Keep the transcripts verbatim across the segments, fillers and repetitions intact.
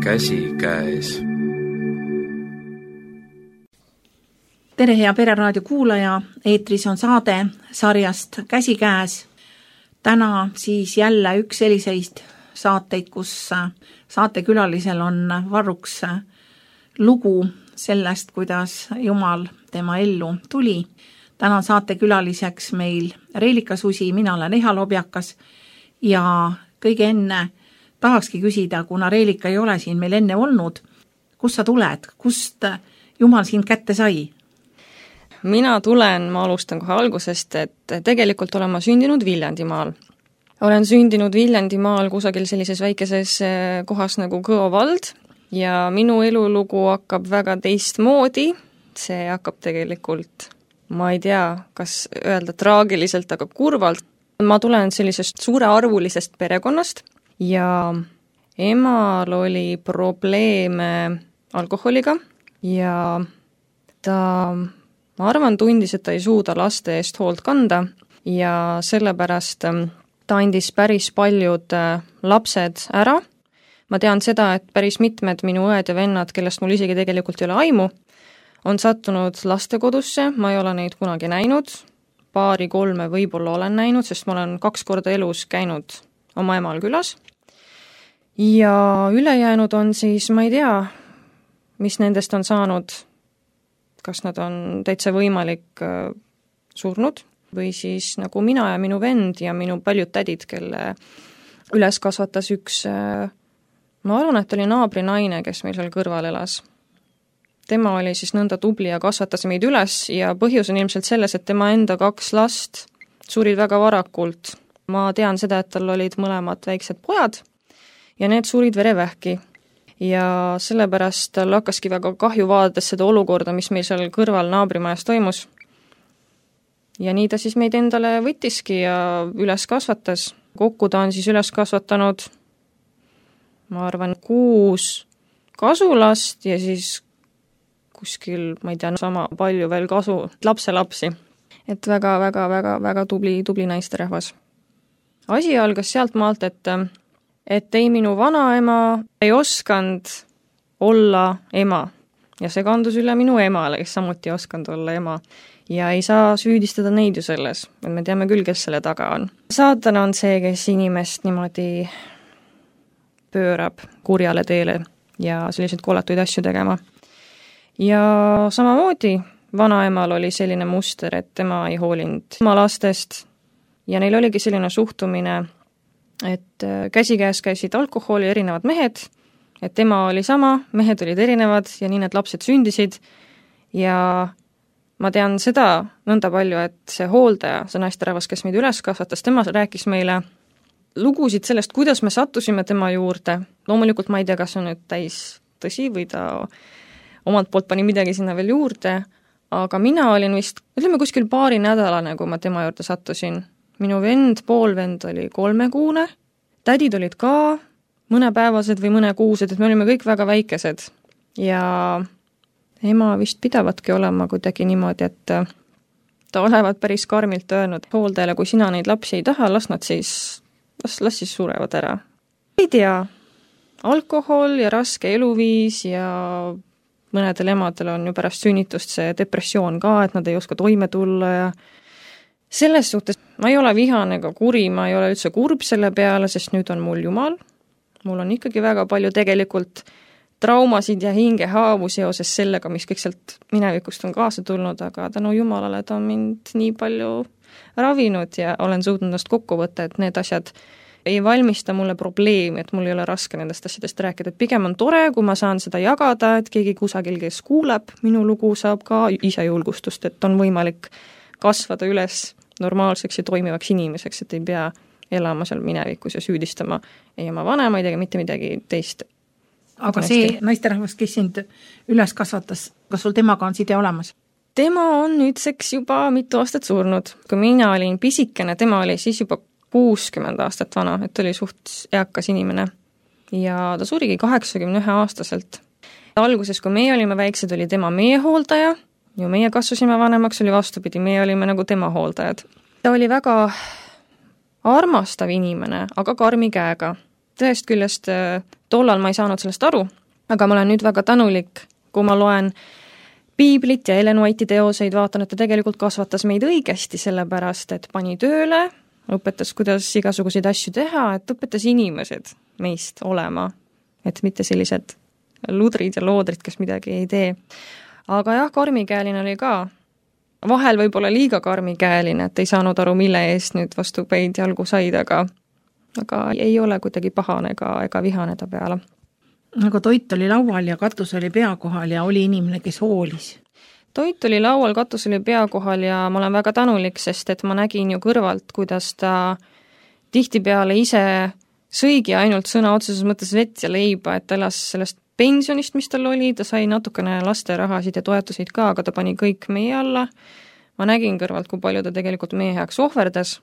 käsikäes. Tere, hea Pereraadio kuulaja, eetris on saade sarjast Käsikäes. Täna siis jälle üks selliseid saateid, kus saatekülalisel on varruks lugu sellest, kuidas Jumal tema ellu tuli. Täna on saatekülaliseks meil Reelika Susi, mina olen Eha Lobjakas ja kõige enne tahakski küsida, kuna Reelika ei ole siin meil enne olnud, kust sa tuled, kust Jumal sind kätte sai? Mina tulen, ma alustan kohe algusest, et tegelikult olen ma sündinud Viljandimaal. Olen sündinud Viljandimaal kusagil sellises väikeses kohas nagu Kõo vald ja minu elulugu hakkab väga teistmoodi. See hakkab tegelikult, ma ei tea, kas öelda traagiliselt, aga kurvalt. Ma tulen sellisest suurearvulisest perekonnast ja emal oli probleeme alkoholiga ja ta... ma arvan, tundis, et ta ei suuda laste eest hoolt kanda ja sellepärast ta andis päris paljud lapsed ära. Ma tean seda, et päris mitmed minu õed ja vennad, kellest mul isegi tegelikult ei ole aimu, on sattunud lastekodusse, ma ei ole neid kunagi näinud, paari-kolme võib-olla olen näinud, sest ma olen kaks korda elus käinud oma emal külas. Ja ülejäänud on siis, ma ei tea, mis nendest on saanud, kas nad on täitsa võimalik äh, surnud või siis nagu mina ja minu vend ja minu paljud tädid, kelle üles kasvatas üks, äh, ma arvan, et oli naabri naine, kes meil seal kõrval elas. Tema oli siis nõnda tubli ja kasvatas meid üles ja põhjus on ilmselt selles, et tema enda kaks last surid väga varakult. Ma tean seda, et tal olid mõlemad väiksed pojad ja need surid verevähki. Ja sellepärast tal hakkaski väga kahju vaadata seda olukorda, mis meil seal kõrval naabrimajas toimus. Ja nii ta siis meid endale võttiski ja üles kasvatas. Kokku ta on siis üles kasvatanud, ma arvan, kuus kasulast ja siis kuskil, ma ei tea, sama palju veel kasu lapselapsi. Et väga, väga, väga, väga tubli, tubli naisterahvas. Asi algas sealt maalt, et et ei minu vanaema ei oskanud olla ema ja see kandus üle minu emale, kes samuti ei oskanud olla ema ja ei saa süüdistada neid ju selles, et me teame küll, kes selle taga on. Saatan on see, kes inimest niimoodi pöörab kurjale teele ja selliseid koletuid asju tegema. Ja samamoodi vanaemal oli selline muster, et tema ei hoolinud oma lastest ja neil oligi selline suhtumine, et käsikäes käisid alkoholi erinevad mehed, et tema oli sama, mehed olid erinevad ja nii need lapsed sündisid ja ma tean seda nõnda palju, et see hooldaja, see naisterahvas, kes meid üles kasvatas, tema rääkis meile lugusid sellest, kuidas me sattusime tema juurde. Loomulikult ma ei tea, kas on nüüd täis tõsi või ta omalt poolt pani midagi sinna veel juurde, aga mina olin vist, ütleme kuskil paari nädalane, kui ma tema juurde sattusin. Minu vend, poolvend oli kolmekuune, tädid olid ka mõnepäevased või mõnekuused, et me olime kõik väga väikesed. Ja ema vist pidavatki olema kuidagi niimoodi, et ta olevat päris karmilt öelnud hooldajale, kui sina neid lapsi ei taha, las nad siis, las, las siis surevad ära. Ei tea, alkohol ja raske eluviis ja mõnedel emadel on ju pärast sünnitust see depressioon ka, et nad ei oska toime tulla ja selles suhtes ma ei ole vihane ega kuri, ma ei ole üldse kurb selle peale, sest nüüd on mul Jumal. Mul on ikkagi väga palju tegelikult traumasid ja hingehaavu seoses sellega, mis kõik sealt minevikust on kaasa tulnud, aga tänu Jumalale ta on mind nii palju ravinud ja olen suutnud ennast kokku võtta, et need asjad ei valmista mulle probleemi, et mul ei ole raske nendest asjadest rääkida. Et pigem on tore, kui ma saan seda jagada, et keegi kusagil, kes kuuleb minu lugu, saab ka ise julgustust, et on võimalik kasvada üles normaalseks ja toimivaks inimeseks, et ei pea elama seal minevikus ja süüdistama ei oma vanemaid ega mitte midagi teist. Aga see naisterahvas, kes sind üles kasvatas, kas sul temaga on side olemas? Tema on nüüdseks juba mitu aastat surnud. Kui mina olin pisikene, tema oli siis juba kuuskümmend aastat vana, et oli suht eakas inimene. Ja ta surigi kaheksakümne ühe aastaselt. Alguses, kui meie olime väiksed, oli tema meie hooldaja, ju meie kasvasime vanemaks, oli vastupidi, meie olime nagu tema hooldajad. Ta oli väga armastav inimene, aga karmi käega. et ühest küljest tollal ma ei saanud sellest aru, aga ma olen nüüd väga tänulik, kui ma loen Piiblit ja Ellen White'i teoseid, vaatan, et ta tegelikult kasvatas meid õigesti, sellepärast, et pani tööle, õpetas, kuidas igasuguseid asju teha, et õpetas inimesed meist olema, et mitte sellised ludrid ja loodrid, kes midagi ei tee. Aga jah, karmikäeline oli ka. Vahel võib-olla liiga karmikäeline, et ei saanud aru, mille eest nüüd vastu päid jalgu said, aga, aga ei ole kuidagi pahane ega, ega vihane ta peale. Aga toit oli laual ja katus oli pea kohal ja oli inimene, kes hoolis. Toit oli laual, katus oli pea kohal ja ma olen väga tänulik, sest et ma nägin ju kõrvalt, kuidas ta tihtipeale ise sõigi ainult sõna otseses mõttes vett ja leiba, et ta elas sellest pensionist, mis tal oli, ta sai natukene lasterahasid ja toetusid ka, aga ta pani kõik meie alla. Ma nägin kõrvalt, kui palju ta tegelikult meie heaks ohverdas,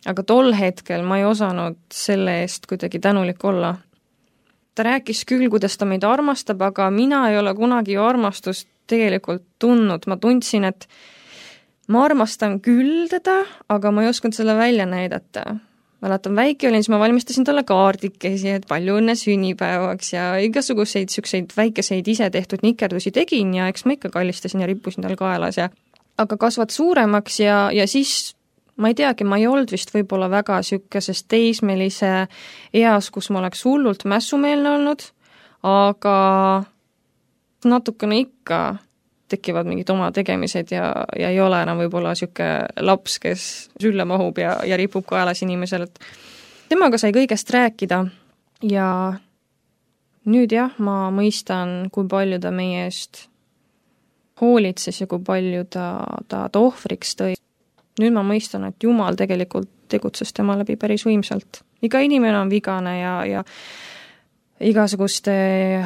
aga tol hetkel ma ei osanud selle eest kuidagi tänulik olla. Ta rääkis küll, kuidas ta meid armastab, aga mina ei ole kunagi ju armastust tegelikult tundnud. Ma tundsin, et ma armastan küll teda, aga ma ei osanud selle välja näidata. Mäletan, väike olin, siis ma valmistasin talle kaardikesi, et palju õnne sünnipäevaks ja igasuguseid sükseid väikeseid ise tehtud nikerdusi tegin ja eks ma ikka kallistasin ja rippusin tal kaelas. Ja... aga kasvad suuremaks ja, ja siis ma ei teagi, ma ei olnud vist võib-olla väga sükesest teismelise eas, kus ma oleks hullult mässumeelne olnud, aga natukene ikka tekivad mingid oma tegemised ja, ja ei ole enam võib-olla syke laps, kes sülle mahub ja, ja ripub kaelas inimesel. Et temaga sai kõigest rääkida ja nüüd jah, ma mõistan, kui palju ta meie eest hoolitses ja kui palju ta, ta, ta ohvriks tõi. Nüüd ma mõistan, et Jumal tegelikult tegutses tema läbi päris võimsalt. Iga inimene on vigane ja, ja igasuguste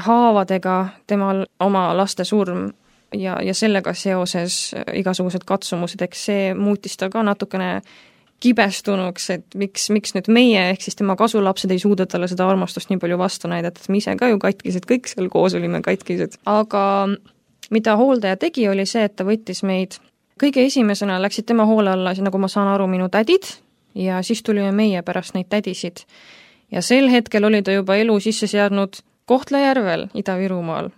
haavadega temal oma laste surm ja, ja sellega seoses igasugused katsumused, eks see muutis ta ka natukene kibestunuks, et miks, miks nüüd meie, ehk siis tema kasulapsed ei suuda talle seda armastust nii palju vastu näidata, et me ise ka ju katkised, kõik seal koos olime katkised. Aga mida hooldaja tegi, oli see, et ta võttis meid kõige esimesena läksid tema hoole alla, nagu ma saan aru, minu tädid ja siis tulime meie pärast neid tädisid. Ja sel hetkel oli ta juba elu sisse seadnud Kohtla-Järvel, Ida-Virumaal.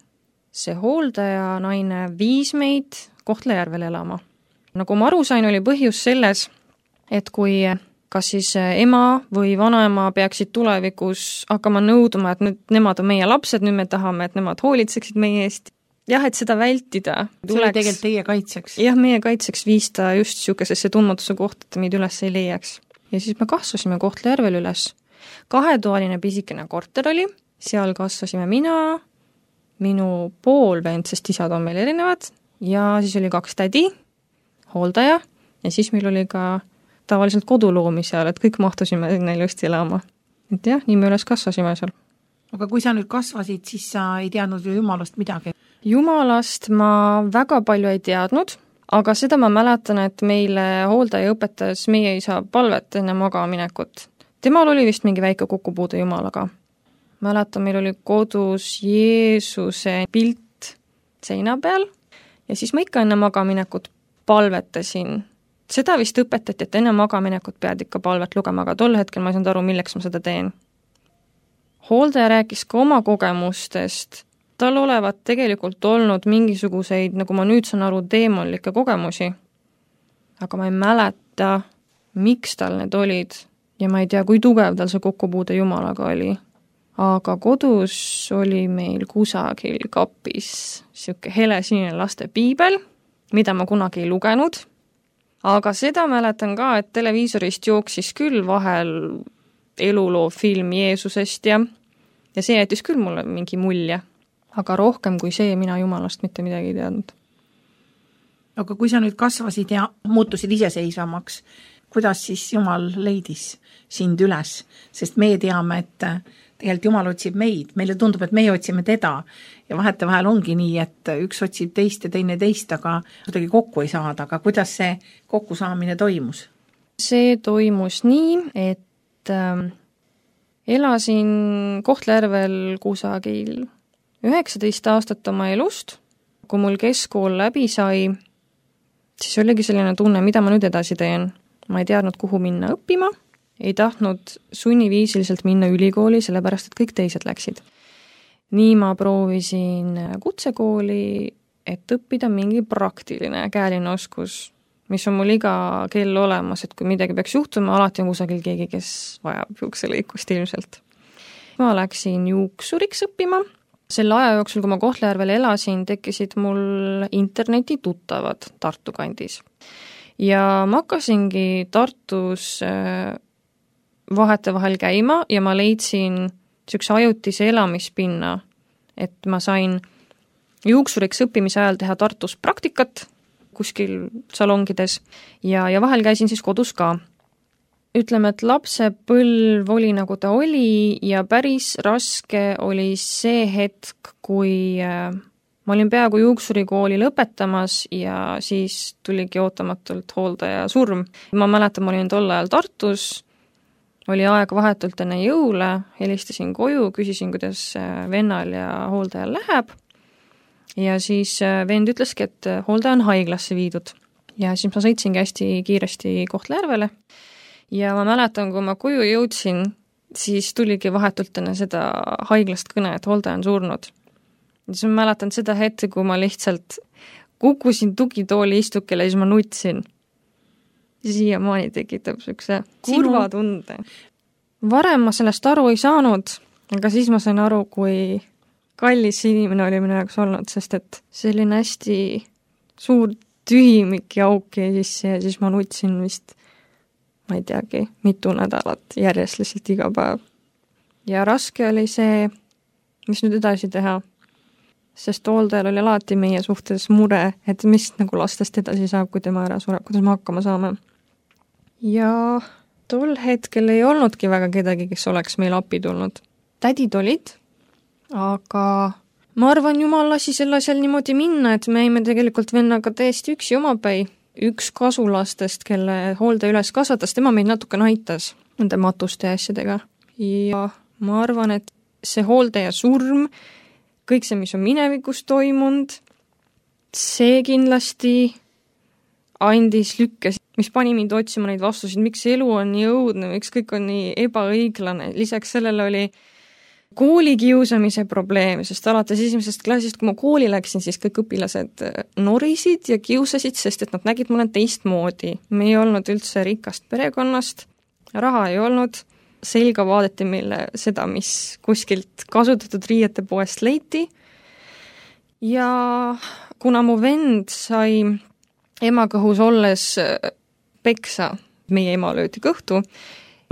See hooldaja naine viis meid Kohtla-Järvel elama. Nagu ma aru sain, oli põhjus selles, et kui kas siis ema või vanaema peaksid tulevikus hakkama nõudma, et nüüd nemad on meie lapsed, nüüd me tahame, et nemad hoolitseksid meie eest. Jah, et seda vältida. See oli tegelikult teie kaitseks. Jah, meie kaitseks viis ta just siukesesse tundmatuse kohta, et meid üles ei leiaks. Ja siis me kasvasime Kohtla-Järvel üles. Kahetoaline pisikene korter oli, seal kasvasime mina, minu poolvend, sest isad on meil erinevad, ja siis oli kaks tädi, hooldaja, ja siis meil oli ka tavaliselt koduloomi seal, et kõik mahtusime sinna ilusti elama. Et jah, nii me üles kasvasime seal. Aga kui sa nüüd kasvasid, siis sa ei teadnud ju Jumalast midagi. Jumalast ma väga palju ei teadnud, aga seda ma mäletan, et meile hooldaja õpetas meie isa palvet enne magaminekut. Temal oli vist mingi väike kokkupuude Jumalaga. Mäletan, meil oli kodus Jeesuse pilt seina peal ja siis ma ikka enne magaminekut palvetasin. Seda vist õpetati, et enne magaminekut pead ikka palvet lugema, aga tol hetkel ma ei saanud aru, milleks ma seda teen. Hooldaja rääkis ka oma kogemustest. Tal olevat tegelikult olnud mingisuguseid, nagu ma nüüd saan aru, teemonlikke kogemusi. Aga ma ei mäleta, miks tal need olid ja ma ei tea, kui tugev tal see kokkupuude Jumalaga oli. Aga kodus oli meil kusagil kapis siuke helesinine laste piibel, mida ma kunagi ei lugenud. Aga seda mäletan ka, et televiisorist jooksis küll vahel eluloo film Jeesusest ja, ja see jättis küll mulle mingi mulje. Aga rohkem kui see, mina Jumalast mitte midagi ei teadnud. Aga kui sa nüüd kasvasid ja muutusid iseseisvamaks, kuidas siis Jumal leidis sind üles? Sest me teame, et tegelikult Jumal otsib meid. Meile tundub, et meie otsime teda ja vahete vahel ongi nii, et üks otsib teist ja teine teist, aga kuidagi kokku ei saada. Aga kuidas see kokkusaamine toimus? See toimus nii, et äh, elasin Kohtla-Järvel kusagil üheksateist aastat oma elust. Kui mul keskkool läbi sai, siis oligi selline tunne, mida ma nüüd edasi teen. Ma ei teadnud, kuhu minna õppima ei tahtnud sunniviisiliselt minna ülikooli, sellepärast et kõik teised läksid. Nii ma proovisin kutsekooli, et õppida mingi praktiline käeline oskus, mis on mul iga kell olemas, et kui midagi peaks juhtuma, alati on kusagil keegi, kes vajab juukselõikust ilmselt. Ma läksin juuksuriks õppima. Selle aja jooksul, kui ma Kohtla-Järvel elasin, tekkisid mul interneti tuttavad Tartu kandis. Ja ma hakkasingi Tartus vahete vahel käima ja ma leidsin üks ajutise elamispinna, et ma sain juuksuriks õppimise ajal teha Tartus praktikat kuskil salongides ja, ja vahel käisin siis kodus ka. Ütleme, et lapsepõlv oli nagu ta oli ja päris raske oli see hetk, kui ma olin peaaegu juuksurikooli lõpetamas ja siis tuligi ootamatult hooldaja surm. Ma mäletan, ma olin tol ajal Tartus, oli aeg vahetult enne jõule, helistasin koju, küsisin, kuidas vennal ja hooldajal läheb. Ja siis vend ütleski, et hooldaja on haiglasse viidud. Ja siis ma sõitsingi hästi kiiresti Kohtla-Järvele. Ja ma mäletan, kui ma koju jõudsin, siis tuligi vahetult enne seda haiglast kõne, et hooldaja on surnud. Ja siis ma mäletan seda hetke, kui ma lihtsalt kukkusin tugitooli istukile ja siis ma nutsin. Siiamaani tekitab sükse kurva tunde. Varem ma sellest aru ei saanud, aga siis ma sain aru, kui kallis inimene oli minu jaoks olnud, sest et selline hästi suur tühimik ja auk jäi sisse ja siis ma nutsin vist, ma ei teagi, mitu nädalat järjest lihtsalt iga päev. Ja raske oli see, mis nüüd edasi teha, sest hooldajal oli alati meie suhtes mure, et mis nagu lastest edasi saab, kui tema ära sureb, kuidas me hakkama saame. Ja tol hetkel ei olnudki väga kedagi, kes oleks meil appi tulnud. Tädid olid, aga ma arvan, jumal lasi selle asjal niimoodi minna, et me jäime tegelikult vennaga täiesti üksi omapäi. Üks kasulastest, kelle hooldaja üles kasvatas, tema meid natuke aitas nende matuste asjadega. Ja ma arvan, et see hooldaja surm, kõik see, mis on minevikus toimunud, see kindlasti andis lükkes, mis pani mind otsima neid vastuseid, miks elu on nii õudne, miks kõik on nii ebaõiglane. Lisaks sellele oli koolikiusamise probleem, sest alates esimesest klassist, kui ma kooli läksin, siis kõik õpilased norisid ja kiusasid, sest et nad nägid mulle teistmoodi. Me ei olnud üldse rikast perekonnast, raha ei olnud, selga vaadati meile seda, mis kuskilt kasutatud riiete poest leiti. Ja kuna mu vend sai emakõhus olles peksa, meie ema löödi kõhtu,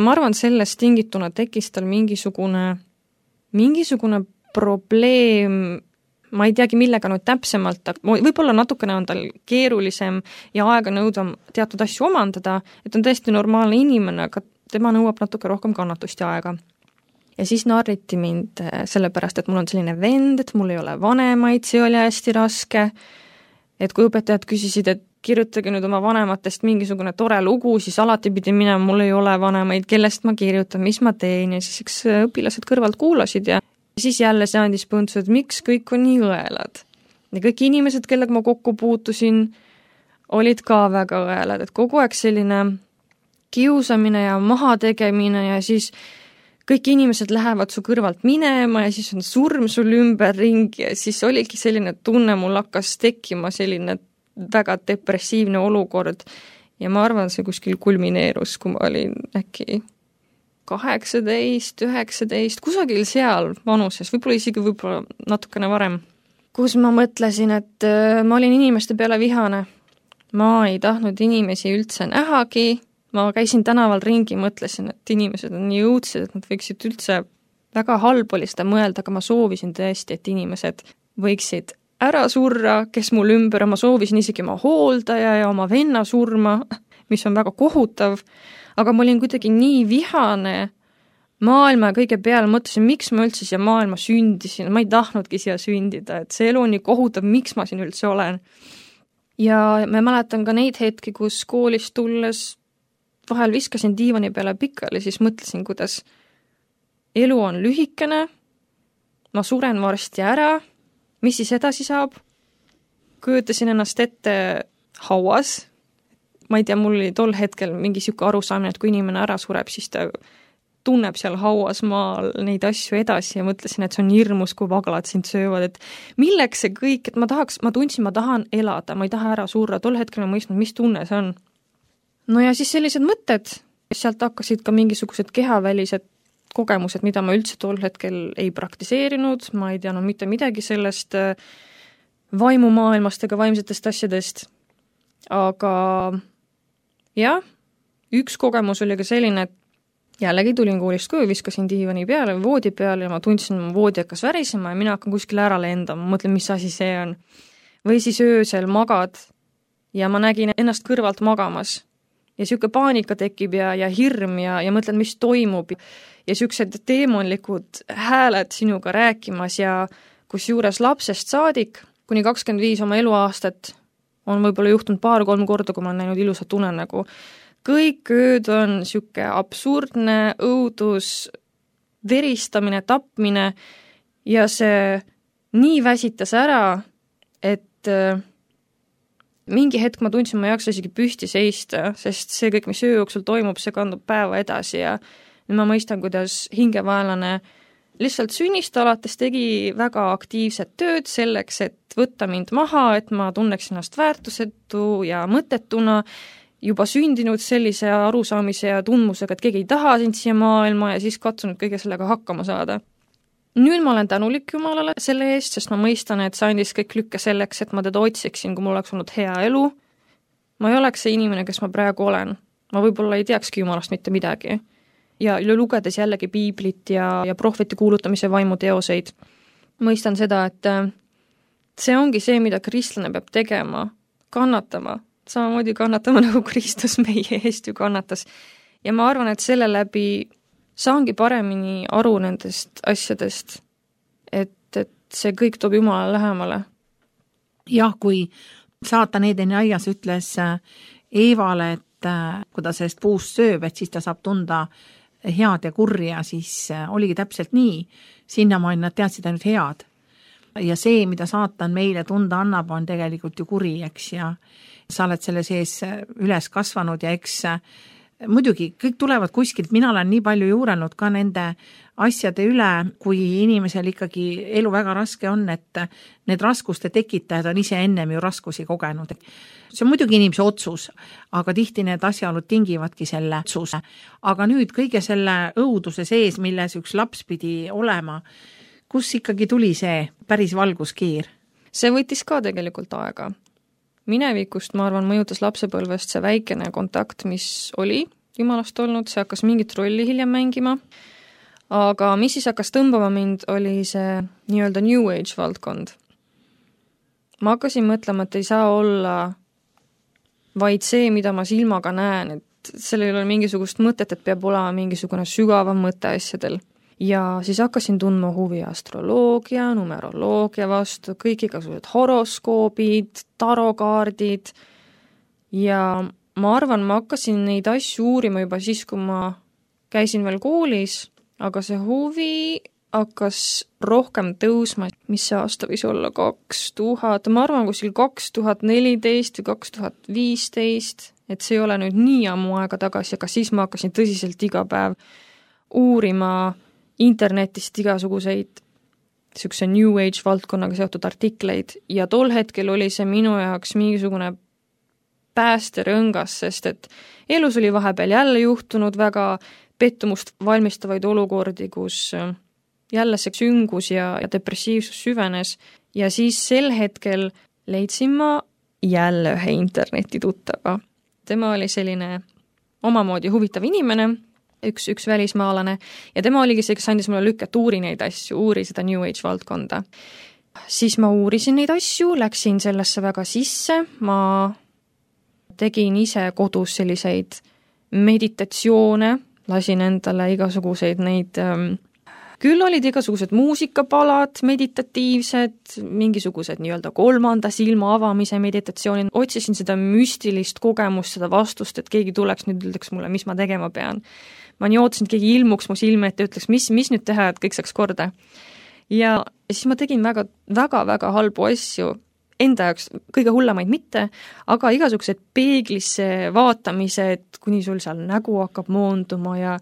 ma arvan, sellest tingituna tekkis tal mingisugune, mingisugune probleem, ma ei teagi, millega nüüd täpsemalt, võib-olla natukene on tal keerulisem ja aega nõudvam teatud asju omandada, et on tõesti normaalne inimene, aga tema nõuab natuke rohkem kannatust ja aega. Ja siis narriti mind sellepärast, et mul on selline vend, et mul ei ole vanemaid, see oli hästi raske, et kui õpetajad küsisid, et kirjutage nüüd oma vanematest mingisugune tore lugu, siis alati pidi minema, mul ei ole vanemaid, kellest ma kirjutan, mis ma teen ja siis eks õpilased kõrvalt kuulasid ja siis jälle see andis põntsu, et miks kõik on nii õelad. Ja kõik inimesed, kellega ma kokku puutusin, olid ka väga õelad, et kogu aeg selline kiusamine ja mahategemine ja siis kõik inimesed lähevad su kõrvalt minema ja siis on surm sul ümber ringi ja siis oligi selline tunne, mul hakkas tekkima selline väga depressiivne olukord ja ma arvan, see kuskil kulmineerus, kui ma olin äkki kaheksateist, üheksateist, kusagil seal vanuses, võib-olla isegi võib-olla natukene varem, kus ma mõtlesin, et ma olin inimeste peale vihane. Ma ei tahtnud inimesi üldse nähagi, ma käisin tänaval ringi, mõtlesin, et inimesed on nii õudsed, et nad võiksid üldse väga halb oli seda mõelda, aga ma soovisin tõesti, et inimesed võiksid ära surra, kes mul ümber, ma soovisin isegi oma hooldaja ja oma venna surma, mis on väga kohutav, aga ma olin kuidagi nii vihane maailma kõige peale, mõtlesin, miks ma üldse siia maailma sündisin, ma ei tahtnudki siia sündida, et see elu on nii kohutav, miks ma siin üldse olen. Ja ma mäletan ka neid hetki, kus koolist tulles vahel viskasin diivani peale pikali, siis mõtlesin, kuidas elu on lühikene, ma suren varsti ära, mis siis edasi saab? Kujutasin ennast ette hauas, ma ei tea, mul oli tol hetkel mingi siuke arusaamine, et kui inimene ära sureb, siis ta tunneb seal hauas maal neid asju edasi ja mõtlesin, et see on hirmus, kui vaglad sind söövad, et milleks see kõik, et ma tahaks, ma tundsin, ma tahan elada, ma ei taha ära surra, tol hetkel ma mõistnud, mis tunne see on. No ja siis sellised mõtted, sealt hakkasid ka mingisugused kehavälised kogemused, mida ma üldse tol hetkel ei praktiseerinud, ma ei teadnud mitte midagi sellest vaimumaailmast ega vaimsetest asjadest, aga jah, üks kogemus oli ka selline, et jällegi tulin koolist koju, viskasin diivani peale või voodi peale ja ma tundsin, et voodi hakkas värisema ja mina hakkan kuskile ära lendama, mõtlen, mis asi see on. Või siis öösel magad ja ma nägin ennast kõrvalt magamas ja siuke paanika tekib ja, ja hirm ja, ja mõtlen, mis toimub ja siuksed teemonlikud hääled sinuga rääkimas ja kus juures lapsest saadik kuni kakskümmend viis oma eluaastat on võib-olla juhtunud paar-kolm korda, kui ma olen näinud ilusat unenägu. Kõik ööd on siuke absurdne õudus, veristamine, tapmine ja see nii väsitas ära, et mingi hetk ma tundsin, ma ei jaksa isegi püsti seista, sest see kõik, mis öö jooksul toimub, see kandub päeva edasi ja nüüd ma mõistan, kuidas hingevaelane lihtsalt sünnist alates tegi väga aktiivset tööd selleks, et võtta mind maha, et ma tunneks ennast väärtusetu ja mõttetuna, juba sündinud sellise arusaamise ja tundmusega, et keegi ei taha sind siia maailma ja siis katsunud kõige sellega hakkama saada. Nüüd ma olen tänulik Jumalale selle eest, sest ma mõistan, et see andis kõik lükke selleks, et ma teda otsiksin, kui mul oleks olnud hea elu. Ma ei oleks see inimene, kes ma praegu olen. Ma võib-olla ei teakski Jumalast mitte midagi. Ja lugedes jällegi piiblit ja, ja prohveti kuulutamise vaimuteoseid, mõistan seda, et see ongi see, mida kristlane peab tegema, kannatama, samamoodi kannatama, nagu Kristus meie eest ju kannatas. Ja ma arvan, et selle läbi saangi paremini aru nendest asjadest, et, et see kõik toob Jumala lähemale. Jah, kui saatan Eedeni aias ütles Eevale, et kui ta sellest puust sööb, et siis ta saab tunda head ja kurja, siis oligi täpselt nii. Sinnamaani nad teadsid ainult head. Ja see, mida saatan meile tunda annab, on tegelikult ju kuri, eks, ja sa oled selle sees üles kasvanud ja eks muidugi kõik tulevad kuskilt, mina olen nii palju juuranud ka nende asjade üle, kui inimesel ikkagi elu väga raske on, et need raskuste tekitajad on ise ennem ju raskusi kogenud. See on muidugi inimese otsus, aga tihti need asjaolud tingivadki selle otsuse. Aga nüüd kõige selle õuduse sees, milles üks laps pidi olema, kus ikkagi tuli see päris valguskiir? See võttis ka tegelikult aega. Minevikust, ma arvan, mõjutas lapsepõlvest see väikene kontakt, mis oli Jumalast olnud, see hakkas mingit rolli hiljem mängima, aga mis siis hakkas tõmbama mind, oli see nii-öelda New Age valdkond. Ma hakkasin mõtlema, et ei saa olla vaid see, mida ma silmaga näen, et sellel ei ole mingisugust mõtet, et peab olema mingisugune sügavam mõte asjadel. Ja siis hakkasin tundma huvi astroloogia, numeroloogia vastu, kõik igasugused horoskoobid, tarokaardid ja ma arvan, ma hakkasin neid asju uurima juba siis, kui ma käisin veel koolis, aga see huvi hakkas rohkem tõusma, mis see aasta võis olla kaks tuhat, ma arvan, kuskil kaks tuhat neliteist või kaks tuhat viisteist, et see ei ole nüüd nii ammu aega tagasi, aga siis ma hakkasin tõsiselt iga päev uurima internetist igasuguseid niisuguse New Age valdkonnaga seotud artikleid ja tol hetkel oli see minu jaoks mingisugune päästerõngas, sest et elus oli vahepeal jälle juhtunud väga pettumust valmistavaid olukordi, kus jälle see süngus ja, ja depressiivsus süvenes ja siis sel hetkel leidsin ma jälle ühe interneti tuttava. Tema oli selline omamoodi huvitav inimene, üks, üks välismaalane ja tema oligi see, kes andis mulle lükket, uuri neid asju, uuri seda New Age valdkonda. Siis ma uurisin neid asju, läksin sellesse väga sisse, ma tegin ise kodus selliseid meditatsioone, lasin endale igasuguseid neid, ähm, küll olid igasugused muusikapalad, meditatiivsed, mingisugused nii-öelda kolmanda silma avamise meditatsioonid, otsisin seda müstilist kogemust, seda vastust, et keegi tuleks nüüd ütleks mulle, mis ma tegema pean. Ma nii ootasin, et keegi ilmuks mu silme, et ütleks, mis, mis nüüd teha, et kõik saaks korda. Ja siis ma tegin väga, väga, väga halbu asju. enda jaoks kõige hullemaid mitte, aga igasugused peeglisse vaatamised, kuni sul seal nägu hakkab moonduma ja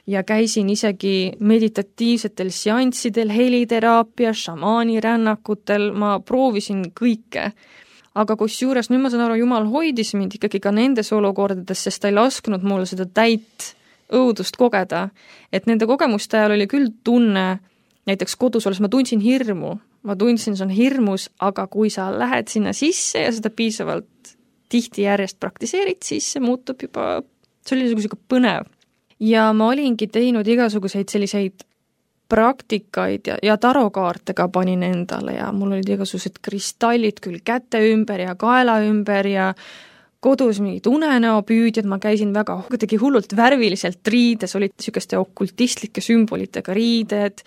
ja käisin isegi meditatiivsetel seanssidel, heliteraapia, šamaanirännakutel, ma proovisin kõike. Aga kusjuures nüüd ma saan aru, Jumal hoidis mind ikkagi ka nendes olukordades, sest ta ei lasknud mulle seda täit õudust kogeda. Et nende kogemuste ajal oli küll tunne, näiteks kodus olles ma tundsin hirmu, ma tundsin, see on hirmus, aga kui sa lähed sinna sisse ja seda piisavalt tihti järjest praktiseerid, siis see muutub juba, see oli niisugune põnev. Ja ma olingi teinud igasuguseid selliseid praktikaid ja, ja tarokaarte ka panin endale ja mul olid igasugused kristallid küll käte ümber ja kaela ümber ja kodus mingid unenäopüüdjad, ma käisin väga kuidagi hullult värviliselt riides, olid niisuguste okultistlike sümbolitega riided,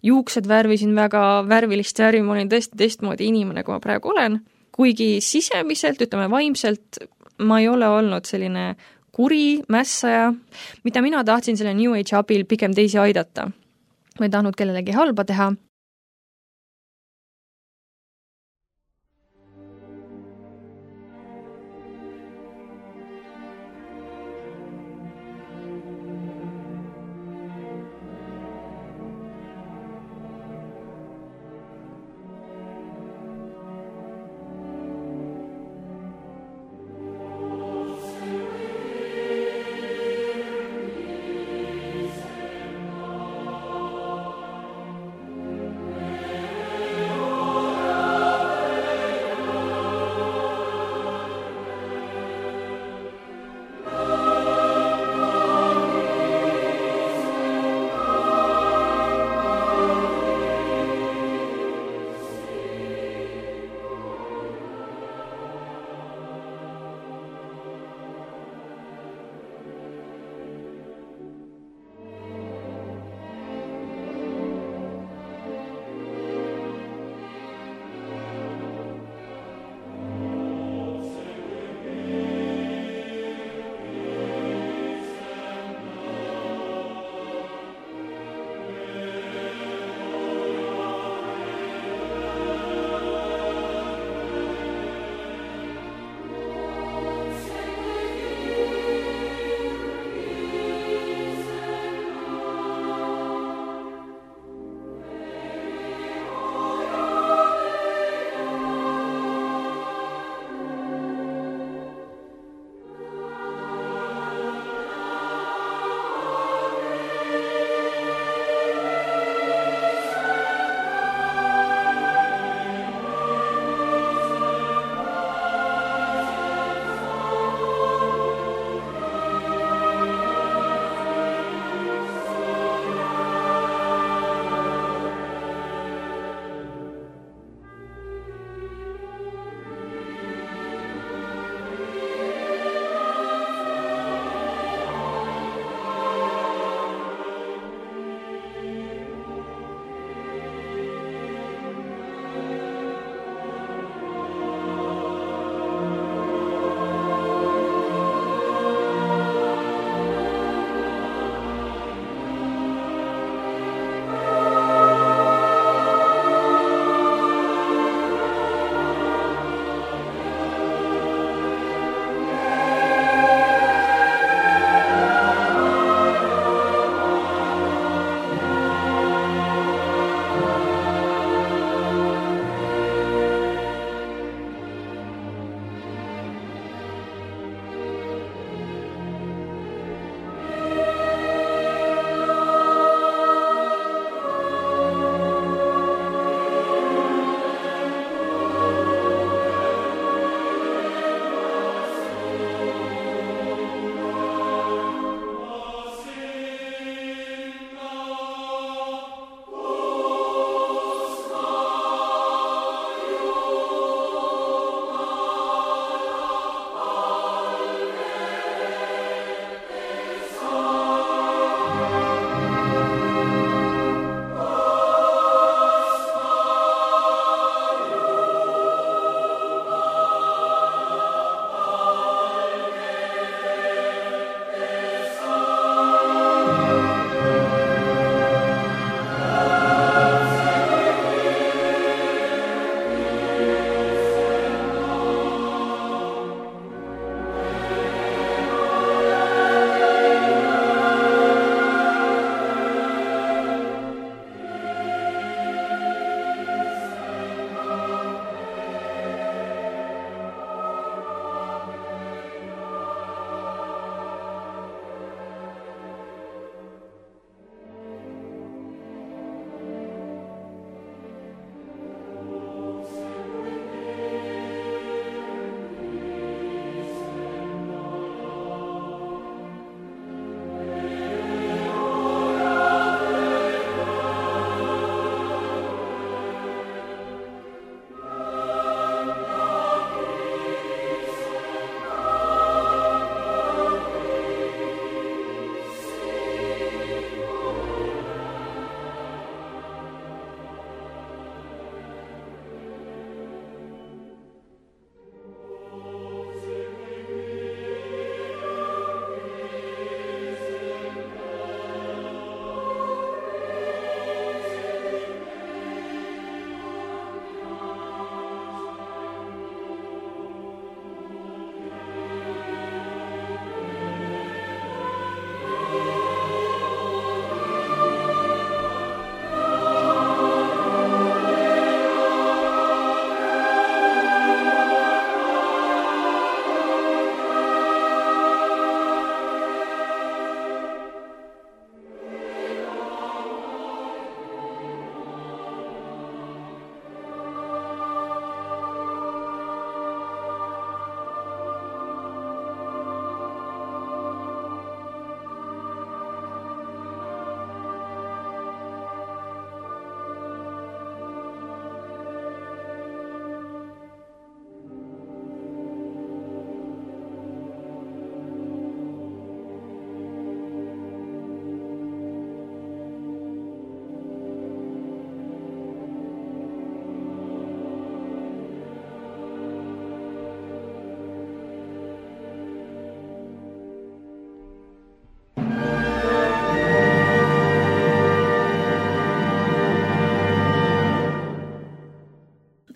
juuksed värvisin väga värvilist värvi, ma olin tõesti teistmoodi inimene, kui ma praegu olen. Kuigi sisemiselt, ütleme vaimselt, ma ei ole olnud selline kuri, mässaja, mida mina tahtsin selle New Age abil pigem teisi aidata. Ma ei tahtnud kellelegi halba teha.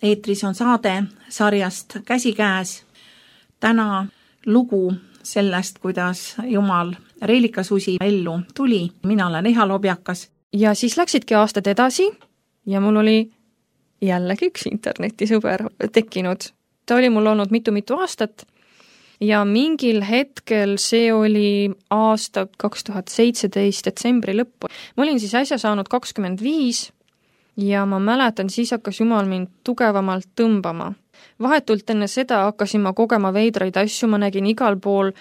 eetris on saade sarjast Käsikäes. Täna lugu sellest, kuidas Jumal Reelikasusi ellu tuli. Mina olen Eha Lobjakas. Ja siis läksidki aastad edasi ja mul oli jällegi üks internetisõber tekkinud. Ta oli mul olnud mitu-mitu aastat ja mingil hetkel, see oli aasta kaks tuhat seitseteist detsembri lõppu. Ma olin siis äsja saanud kakskümmend viis ja ma mäletan, siis hakkas Jumal mind tugevamalt tõmbama. Vahetult enne seda hakkasin ma kogema veidraid asju, ma nägin igal pool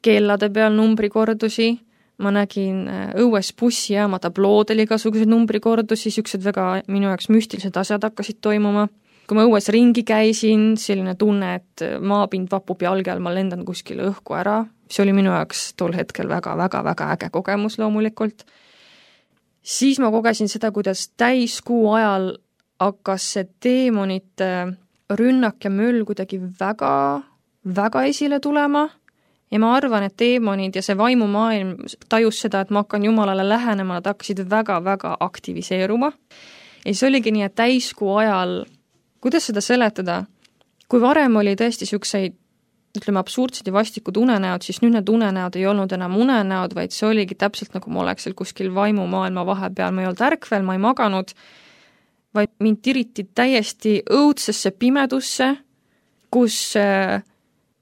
kellade peal numbrikordusi, ma nägin õues bussijaama tabloodel igasuguseid numbrikordusi, siuksed väga minu jaoks müstilised asjad hakkasid toimuma. Kui ma õues ringi käisin, selline tunne, et maapind vapub jalge all, ma lendan kuskile õhku ära. See oli minu jaoks tol hetkel väga-väga-väga äge kogemus loomulikult. Siis ma kogesin seda, kuidas täiskuu ajal hakkas see teemonite rünnak ja möll kuidagi väga, väga esile tulema. Ja ma arvan, et teemonid ja see vaimumaailm tajus seda, et ma hakkan Jumalale lähenema, nad hakkasid väga-väga aktiviseeruma. Ja see oligi nii, et täiskuu ajal, kuidas seda seletada, kui varem oli tõesti siukseid, ütleme, absurdsed ja vastikud unenäod, siis nüüd need unenäod ei olnud enam unenäod, vaid see oligi täpselt nagu ma oleks seal kuskil vaimumaailma vahepeal, ma ei olnud ärkvel, ma ei maganud, vaid mind tiriti täiesti õudsesse pimedusse, kus äh,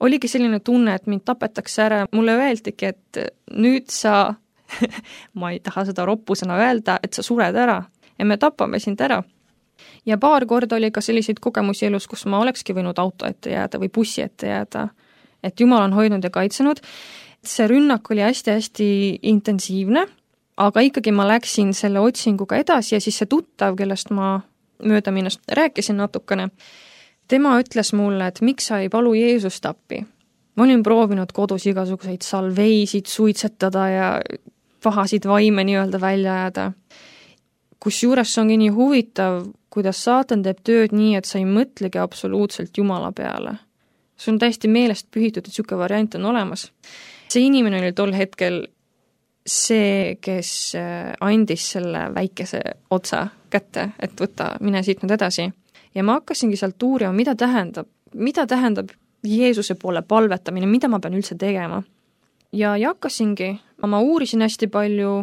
oligi selline tunne, et mind tapetakse ära. Mulle öeldigi, et nüüd sa, ma ei taha seda roppusena öelda, et sa sured ära ja me tapame sind ära. Ja paar korda oli ka selliseid kogemusi elus, kus ma olekski võinud auto ette jääda või bussi ette jääda. Et Jumal on hoidnud ja kaitsenud. See rünnak oli hästi-hästi intensiivne, aga ikkagi ma läksin selle otsinguga edasi ja siis see tuttav, kellest ma mööda minnast rääkisin natukene, tema ütles mulle, et miks sa ei palu Jeesust appi. Ma olin proovinud kodus igasuguseid salveisid suitsetada ja pahasid vaime nii-öelda välja jääda. Kus juures see ongi nii huvitav, kuidas saatan teeb tööd nii, et sa ei mõtlegi absoluutselt Jumala peale. See on täiesti meelest pühitud, et siuke variant on olemas. See inimene oli tol hetkel see, kes andis selle väikese otsa kätte, et võtta, mine siit nüüd edasi. Ja ma hakkasingi sealt uurima, mida tähendab, mida tähendab Jeesuse poole palvetamine, mida ma pean üldse tegema. Ja, ja hakkasingi, ma uurisin hästi palju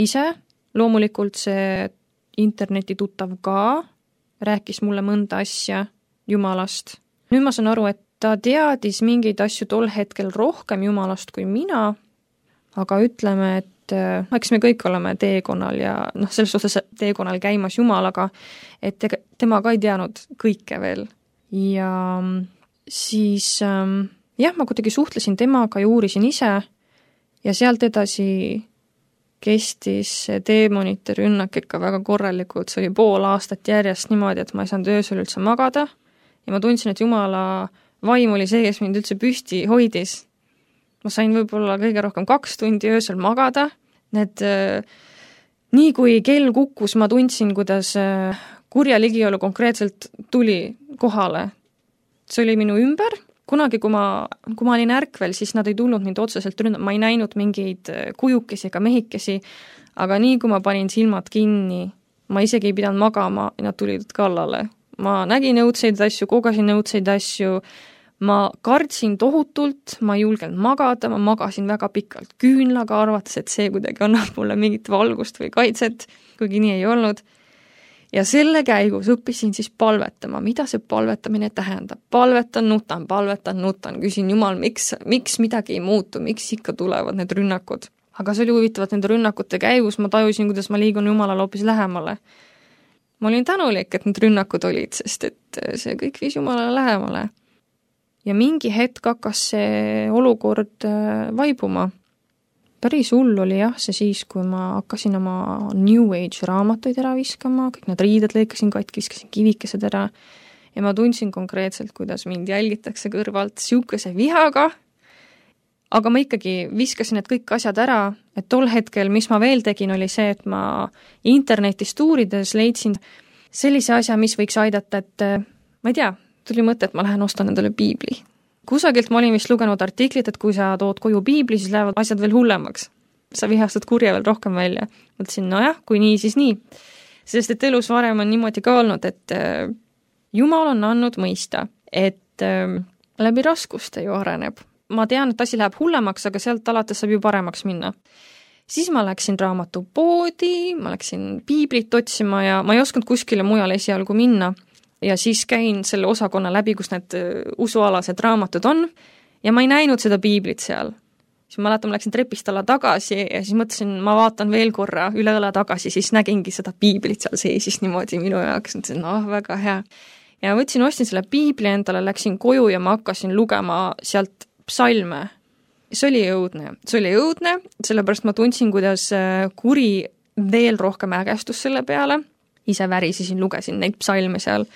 ise, loomulikult see interneti tuttav ka rääkis mulle mõnda asja Jumalast. Nüüd ma saan aru, et ta teadis mingeid asju tol hetkel rohkem Jumalast kui mina, aga ütleme, et eks me kõik oleme teekonnal ja noh, selles suhtes teekonnal käimas Jumalaga, et tema ka ei teadnud kõike veel. Ja siis jah, ma kuidagi suhtlesin temaga ja uurisin ise ja sealt edasi kestis teemonite rünnak ikka väga korralikult, see oli pool aastat järjest niimoodi, et ma ei saanud öösel üldse magada ja ma tundsin, et Jumala vaim oli see, kes mind üldse püsti hoidis. Ma sain võib-olla kõige rohkem kaks tundi öösel magada, need äh, nii kui kell kukkus, ma tundsin, kuidas äh, kurja ligiolu konkreetselt tuli kohale. See oli minu ümber. Kunagi, kui ma, kui ma olin ärkvel, siis nad ei tulnud mind otseselt ründama, ma ei näinud mingeid kujukesi ega mehikesi, aga nii kui ma panin silmad kinni, ma isegi ei pidanud magama ja nad tulid kallale. Ma nägin õudseid asju, kogasin õudseid asju, ma kartsin tohutult, ma ei julgenud magada, ma magasin väga pikalt küünlaga, arvates, et see kuidagi annab mulle mingit valgust või kaitset, kuigi nii ei olnud. Ja selle käigus õppisin siis palvetama, mida see palvetamine tähendab. Palvetan, nutan, palvetan, nutan, küsin Jumal, miks, miks midagi ei muutu, miks ikka tulevad need rünnakud. Aga see oli huvitavat nende rünnakute käigus, ma tajusin, kuidas ma liigun Jumalale hoopis lähemale. Ma olin tänulik, et need rünnakud olid, sest et see kõik viis Jumalale lähemale. Ja mingi hetk hakkas see olukord vaibuma. Päris hull oli jah, see siis, kui ma hakkasin oma New Age raamatuid ära viskama, kõik need riided lõikasin katki, viskasin kivikesed ära ja ma tundsin konkreetselt, kuidas mind jälgitakse kõrvalt siukese vihaga, aga ma ikkagi viskasin need kõik asjad ära, et tol hetkel, mis ma veel tegin, oli see, et ma internetist uurides leidsin sellise asja, mis võiks aidata, et ma ei tea, tuli mõte, et ma lähen ostan endale piibli. Kusagilt ma olin vist lugenud artiklit, et kui sa tood koju piibli, siis lähevad asjad veel hullemaks. Sa vihastad kurja veel rohkem välja. Mõtlesin, no jah, kui nii, siis nii. Sest et elus varem on niimoodi ka olnud, et Jumal on andnud mõista, et äh, läbi raskuste ju areneb. Ma tean, et asi läheb hullemaks, aga sealt alates saab ju paremaks minna. Siis ma läksin raamatupoodi, ma läksin piiblit otsima ja ma ei osanud kuskile mujale esialgu minna. Ja siis käin selle osakonna läbi, kus need usualased raamatud on ja ma ei näinud seda piiblit seal. Siis ma mäletan, ma läksin trepist alla tagasi ja siis mõtlesin, ma vaatan veel korra üle õle tagasi, siis nägingi seda piiblit seal seisis niimoodi minu jaoks. Mõtlesin, noh, väga hea. Ja võtsin, ostin selle piibli endale, läksin koju ja ma hakkasin lugema sealt psalme. See oli jõudne. See oli jõudne, sellepärast ma tundsin, kuidas kuri veel rohkem ägestus selle peale. Ise värisisin, lugesin neid psalme seal.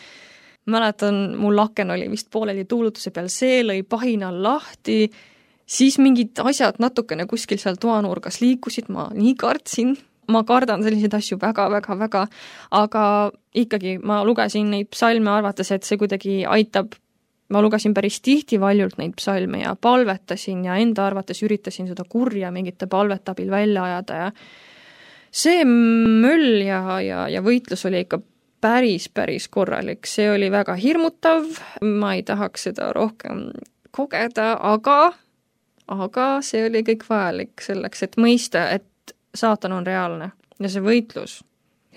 Mäletan, mul laken oli vist pooleli tuulutuse peal, see lõi pahinal lahti, siis mingid asjad natukene kuskil seal toanurgas liikusid, ma nii kartsin, ma kardan selliseid asju väga-väga-väga, aga ikkagi ma lugesin neid psalme arvates, et see kuidagi aitab, ma lugesin päris tihti valjult neid psalme ja palvetasin ja enda arvates üritasin seda kurja mingite palvetabil välja ajada ja see möll ja, ja, ja võitlus oli ikka päris, päris korralik. See oli väga hirmutav, ma ei tahaks seda rohkem kogeda, aga, aga see oli kõik vajalik selleks, et mõista, et saatan on reaalne ja see võitlus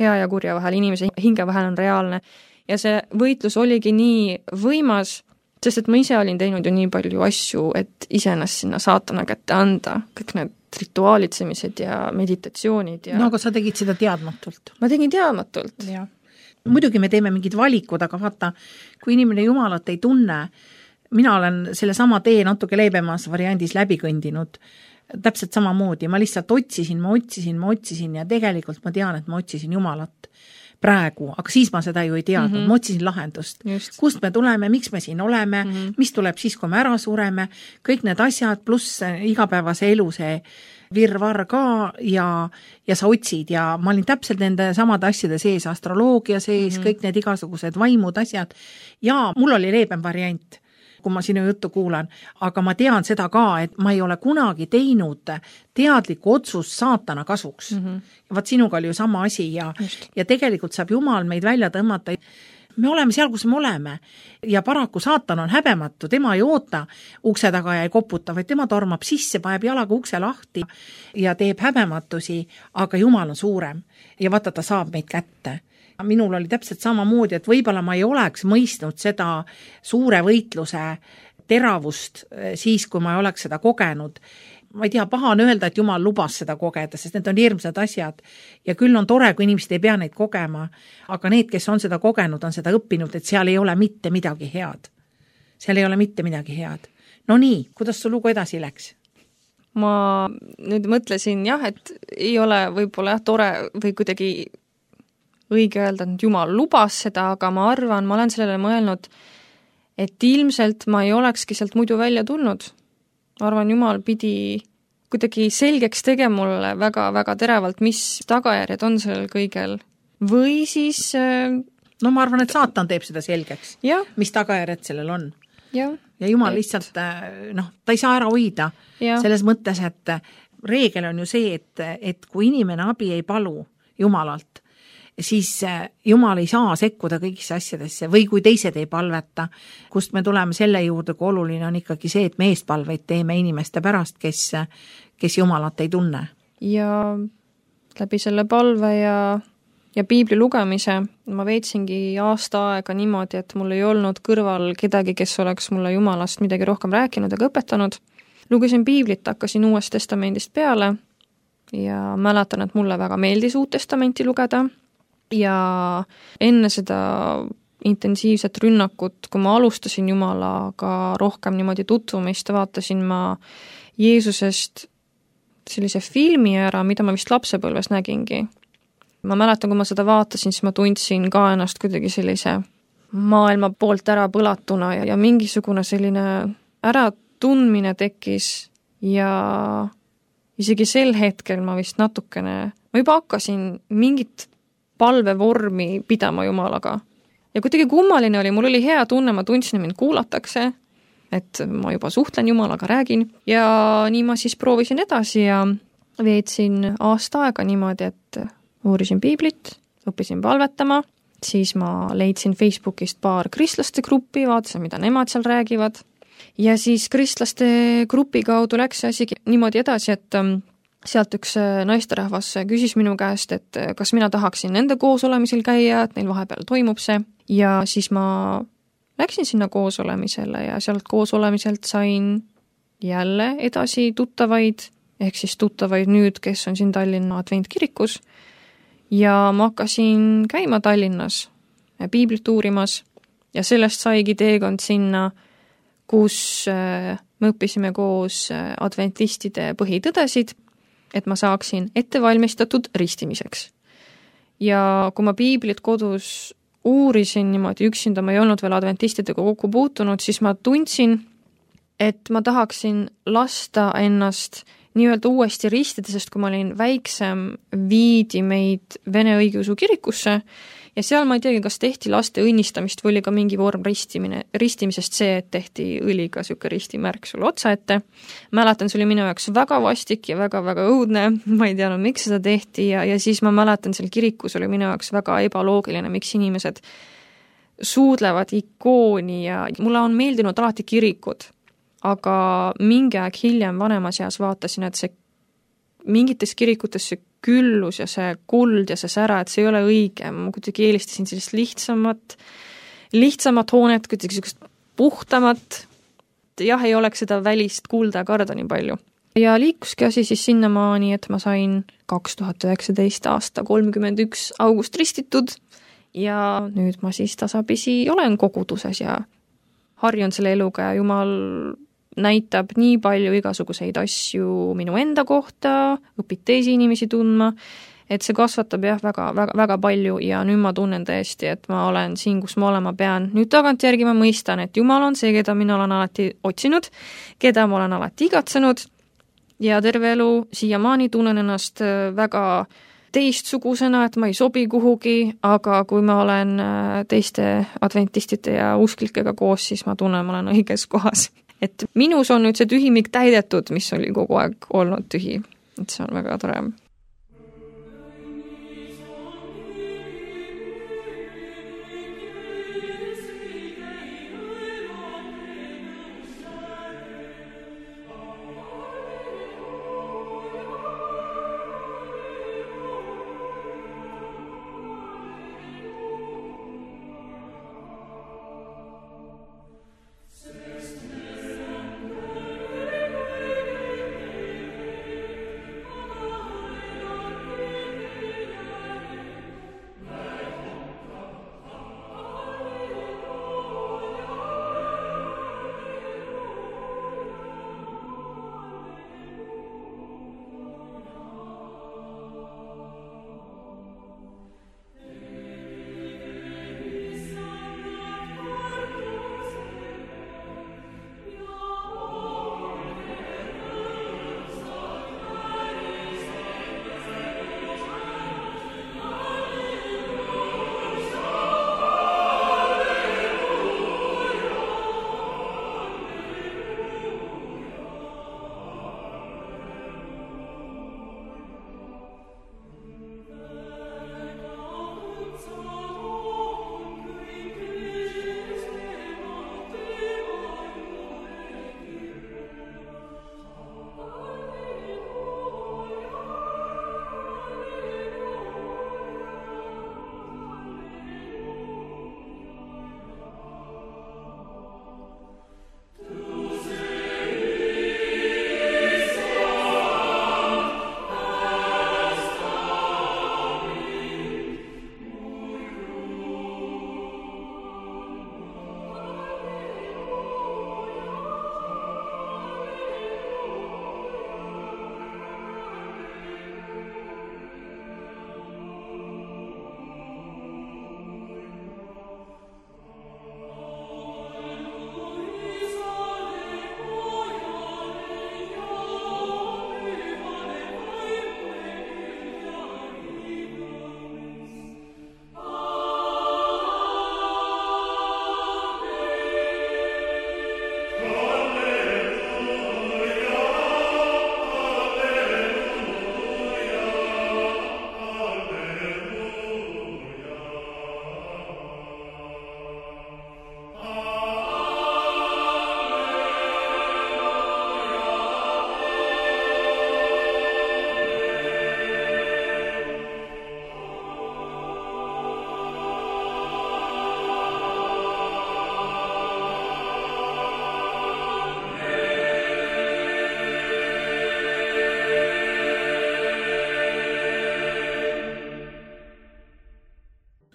hea ja kurja vahel, inimese hinge vahel on reaalne ja see võitlus oligi nii võimas, sest et ma ise olin teinud ju nii palju asju, et iseennast sinna saatana kätte anda, kõik need rituaalitsemised ja meditatsioonid. Ja... No aga sa tegid seda teadmatult. Ma tegin teadmatult. Ja. Muidugi me teeme mingid valikud, aga vaata, kui inimene Jumalat ei tunne, mina olen selle sama tee natuke leibemas variandis läbi kõndinud, täpselt sama moodi, ma lihtsalt otsisin, ma otsisin, ma otsisin ja tegelikult ma tean, et ma otsisin Jumalat praegu, aga siis ma seda ju ei teadnud, mm -hmm. ma otsisin lahendust. Just. Kust me tuleme, miks me siin oleme, mm -hmm. mis tuleb siis, kui me ära sureme, kõik need asjad, pluss igapäevase elu see virvar ka ja, ja sa otsid ja ma olin täpselt nende samade asjade sees, astroloogia sees, mm -hmm. kõik need igasugused vaimud asjad ja mul oli leebem variant, kui ma sinu juttu kuulan, aga ma tean seda ka, et ma ei ole kunagi teinud teadlikku otsust saatana kasuks. Mm -hmm. Vaat sinuga oli ju sama asi ja, ja tegelikult saab Jumal meid välja tõmmata. Me oleme seal, kus me oleme ja paraku saatan on häbematu, tema ei oota ukse taga ja ei koputa, vaid tema tormab sisse, paneb jalaga ukse lahti ja teeb häbematusi, aga Jumal on suurem ja vaata, ta saab meid kätte. Minul oli täpselt sama moodi, et võib-olla ma ei oleks mõistnud seda suure võitluse teravust siis, kui ma ei oleks seda kogenud. Ma ei tea, paha on öelda, et Jumal lubas seda kogeda, sest need on hirmsad asjad ja küll on tore, kui inimesed ei pea neid kogema, aga need, kes on seda kogenud, on seda õppinud, et seal ei ole mitte midagi head. Seal ei ole mitte midagi head. No nii, kuidas su lugu edasi läks? Ma nüüd mõtlesin jah, et ei ole võib-olla jah, tore või kuidagi õige öelda, et Jumal lubas seda, aga ma arvan, ma olen sellele mõelnud, et ilmselt ma ei olekski sealt muidu välja tulnud. Ma arvan, Jumal pidi kuidagi selgeks tegema mulle väga-väga teravalt, mis tagajärjed on sellel kõigel. Või siis... No ma arvan, et saatan teeb seda selgeks, ja. Mis tagajärjed sellel on. Ja, ja Jumal et... lihtsalt, noh, ta ei saa ära hoida ja. Selles mõttes, et reegel on ju see, et, et kui inimene abi ei palu Jumalalt, siis Jumal ei saa sekkuda kõigisse asjadesse või kui teised ei palveta, kust me tuleme selle juurde, kui oluline on ikkagi see, et me eestpalveid teeme inimeste pärast, kes, kes Jumalat ei tunne. Ja läbi selle palve ja, ja piibli lugemise ma veetsingi aasta aega niimoodi, et mul ei olnud kõrval kedagi, kes oleks mulle Jumalast midagi rohkem rääkinud ega õpetanud. Lugesin piiblit, hakkasin Uuest testamendist peale ja mäletan, et mulle väga meeldis Uut testamenti lugeda. Ja enne seda intensiivset rünnakut, kui ma alustasin Jumalaga rohkem niimoodi tutvumist, vaatasin ma Jeesusest sellise filmi ära, mida ma vist lapsepõlves nägingi. Ma mäletan, kui ma seda vaatasin, siis ma tundsin ka ennast kuidagi sellise maailma poolt ära põlatuna ja, ja mingisugune selline äratundmine tekkis ja isegi sel hetkel ma vist natukene, ma juba hakkasin mingit palvevormi pidama Jumalaga. Ja kuidagi kummaline oli, mul oli hea tunne, ma tundsin, mind kuulatakse, et ma juba suhtlen Jumalaga, räägin. Ja nii ma siis proovisin edasi ja veetsin aasta aega niimoodi, et uurisin piiblit, õppisin palvetama siis ma leidsin Facebookist paar kristlaste gruppi, vaatasin, mida nemad seal räägivad. Ja siis kristlaste grupi kaudu läks see asi niimoodi edasi, et sealt üks naisterahvas küsis minu käest, et kas mina tahaksin nende koosolemisel käia, et neil vahepeal toimub see. Ja siis ma läksin sinna koosolemisele ja sealt koosolemiselt sain jälle edasi tuttavaid, ehk siis tuttavaid nüüd, kes on siin Tallinna Adventkirikus. Ja ma hakkasin käima Tallinnas piiblit uurimas ja sellest saigi teekond sinna, kus me õppisime koos adventistide põhitõdesid, et ma saaksin ettevalmistatud ristimiseks. Ja kui ma piiblit kodus uurisin niimoodi üksinda, ma ei olnud veel adventistidega kokku puutunud, siis ma tundsin, et ma tahaksin lasta ennast nii-öelda uuesti ristida, sest kui ma olin väiksem, viidi meid Vene õigeusu kirikusse ja seal ma ei teagi, kas tehti laste õnnistamist või oli ka mingi vorm ristimine, ristimisest see, et tehti õliga süke ristimärk sulle otsa ette. Mäletan, see oli minu jaoks väga vastik ja väga-väga õudne, ma ei teadnud, miks seda tehti ja, ja siis ma mäletan, seal kirikus oli minu jaoks väga ebaloogiline, miks inimesed suudlevad ikooni ja mulle on meeldinud alati kirikud, aga mingi aeg hiljem vanemas eas vaatasin, et see mingites kirikutes see küllus ja see kuld ja see sära, et see ei ole õige. Ma kuidagi eelistasin sellist lihtsamat, lihtsamat hoonet, kuidagi sellist puhtamat. Jah, ei oleks seda välist kulda ja karda nii palju. Ja liikuski asi siis sinnamaani, et ma sain kaks tuhat üheksateist aasta kolmkümmend üks august ristitud ja nüüd ma siis tasapisi olen koguduses ja harjun selle eluga ja Jumal näitab nii palju igasuguseid asju minu enda kohta, õpid teisi inimesi tundma, et see kasvatab jah väga, väga, väga palju ja nüüd ma tunnen tõesti, et ma olen siin, kus ma olema pean. Nüüd tagantjärgi ma mõistan, et Jumal on see, keda mina olen alati otsinud, keda ma olen alati igatsenud ja terve elu siiamaani tunnen ennast väga teistsugusena, et ma ei sobi kuhugi, aga kui ma olen teiste adventistide ja usklikega koos, siis ma tunnen, ma olen õiges kohas. Et minus on nüüd see tühimik täidetud, mis oli kogu aeg olnud tühi. Et see on väga tore.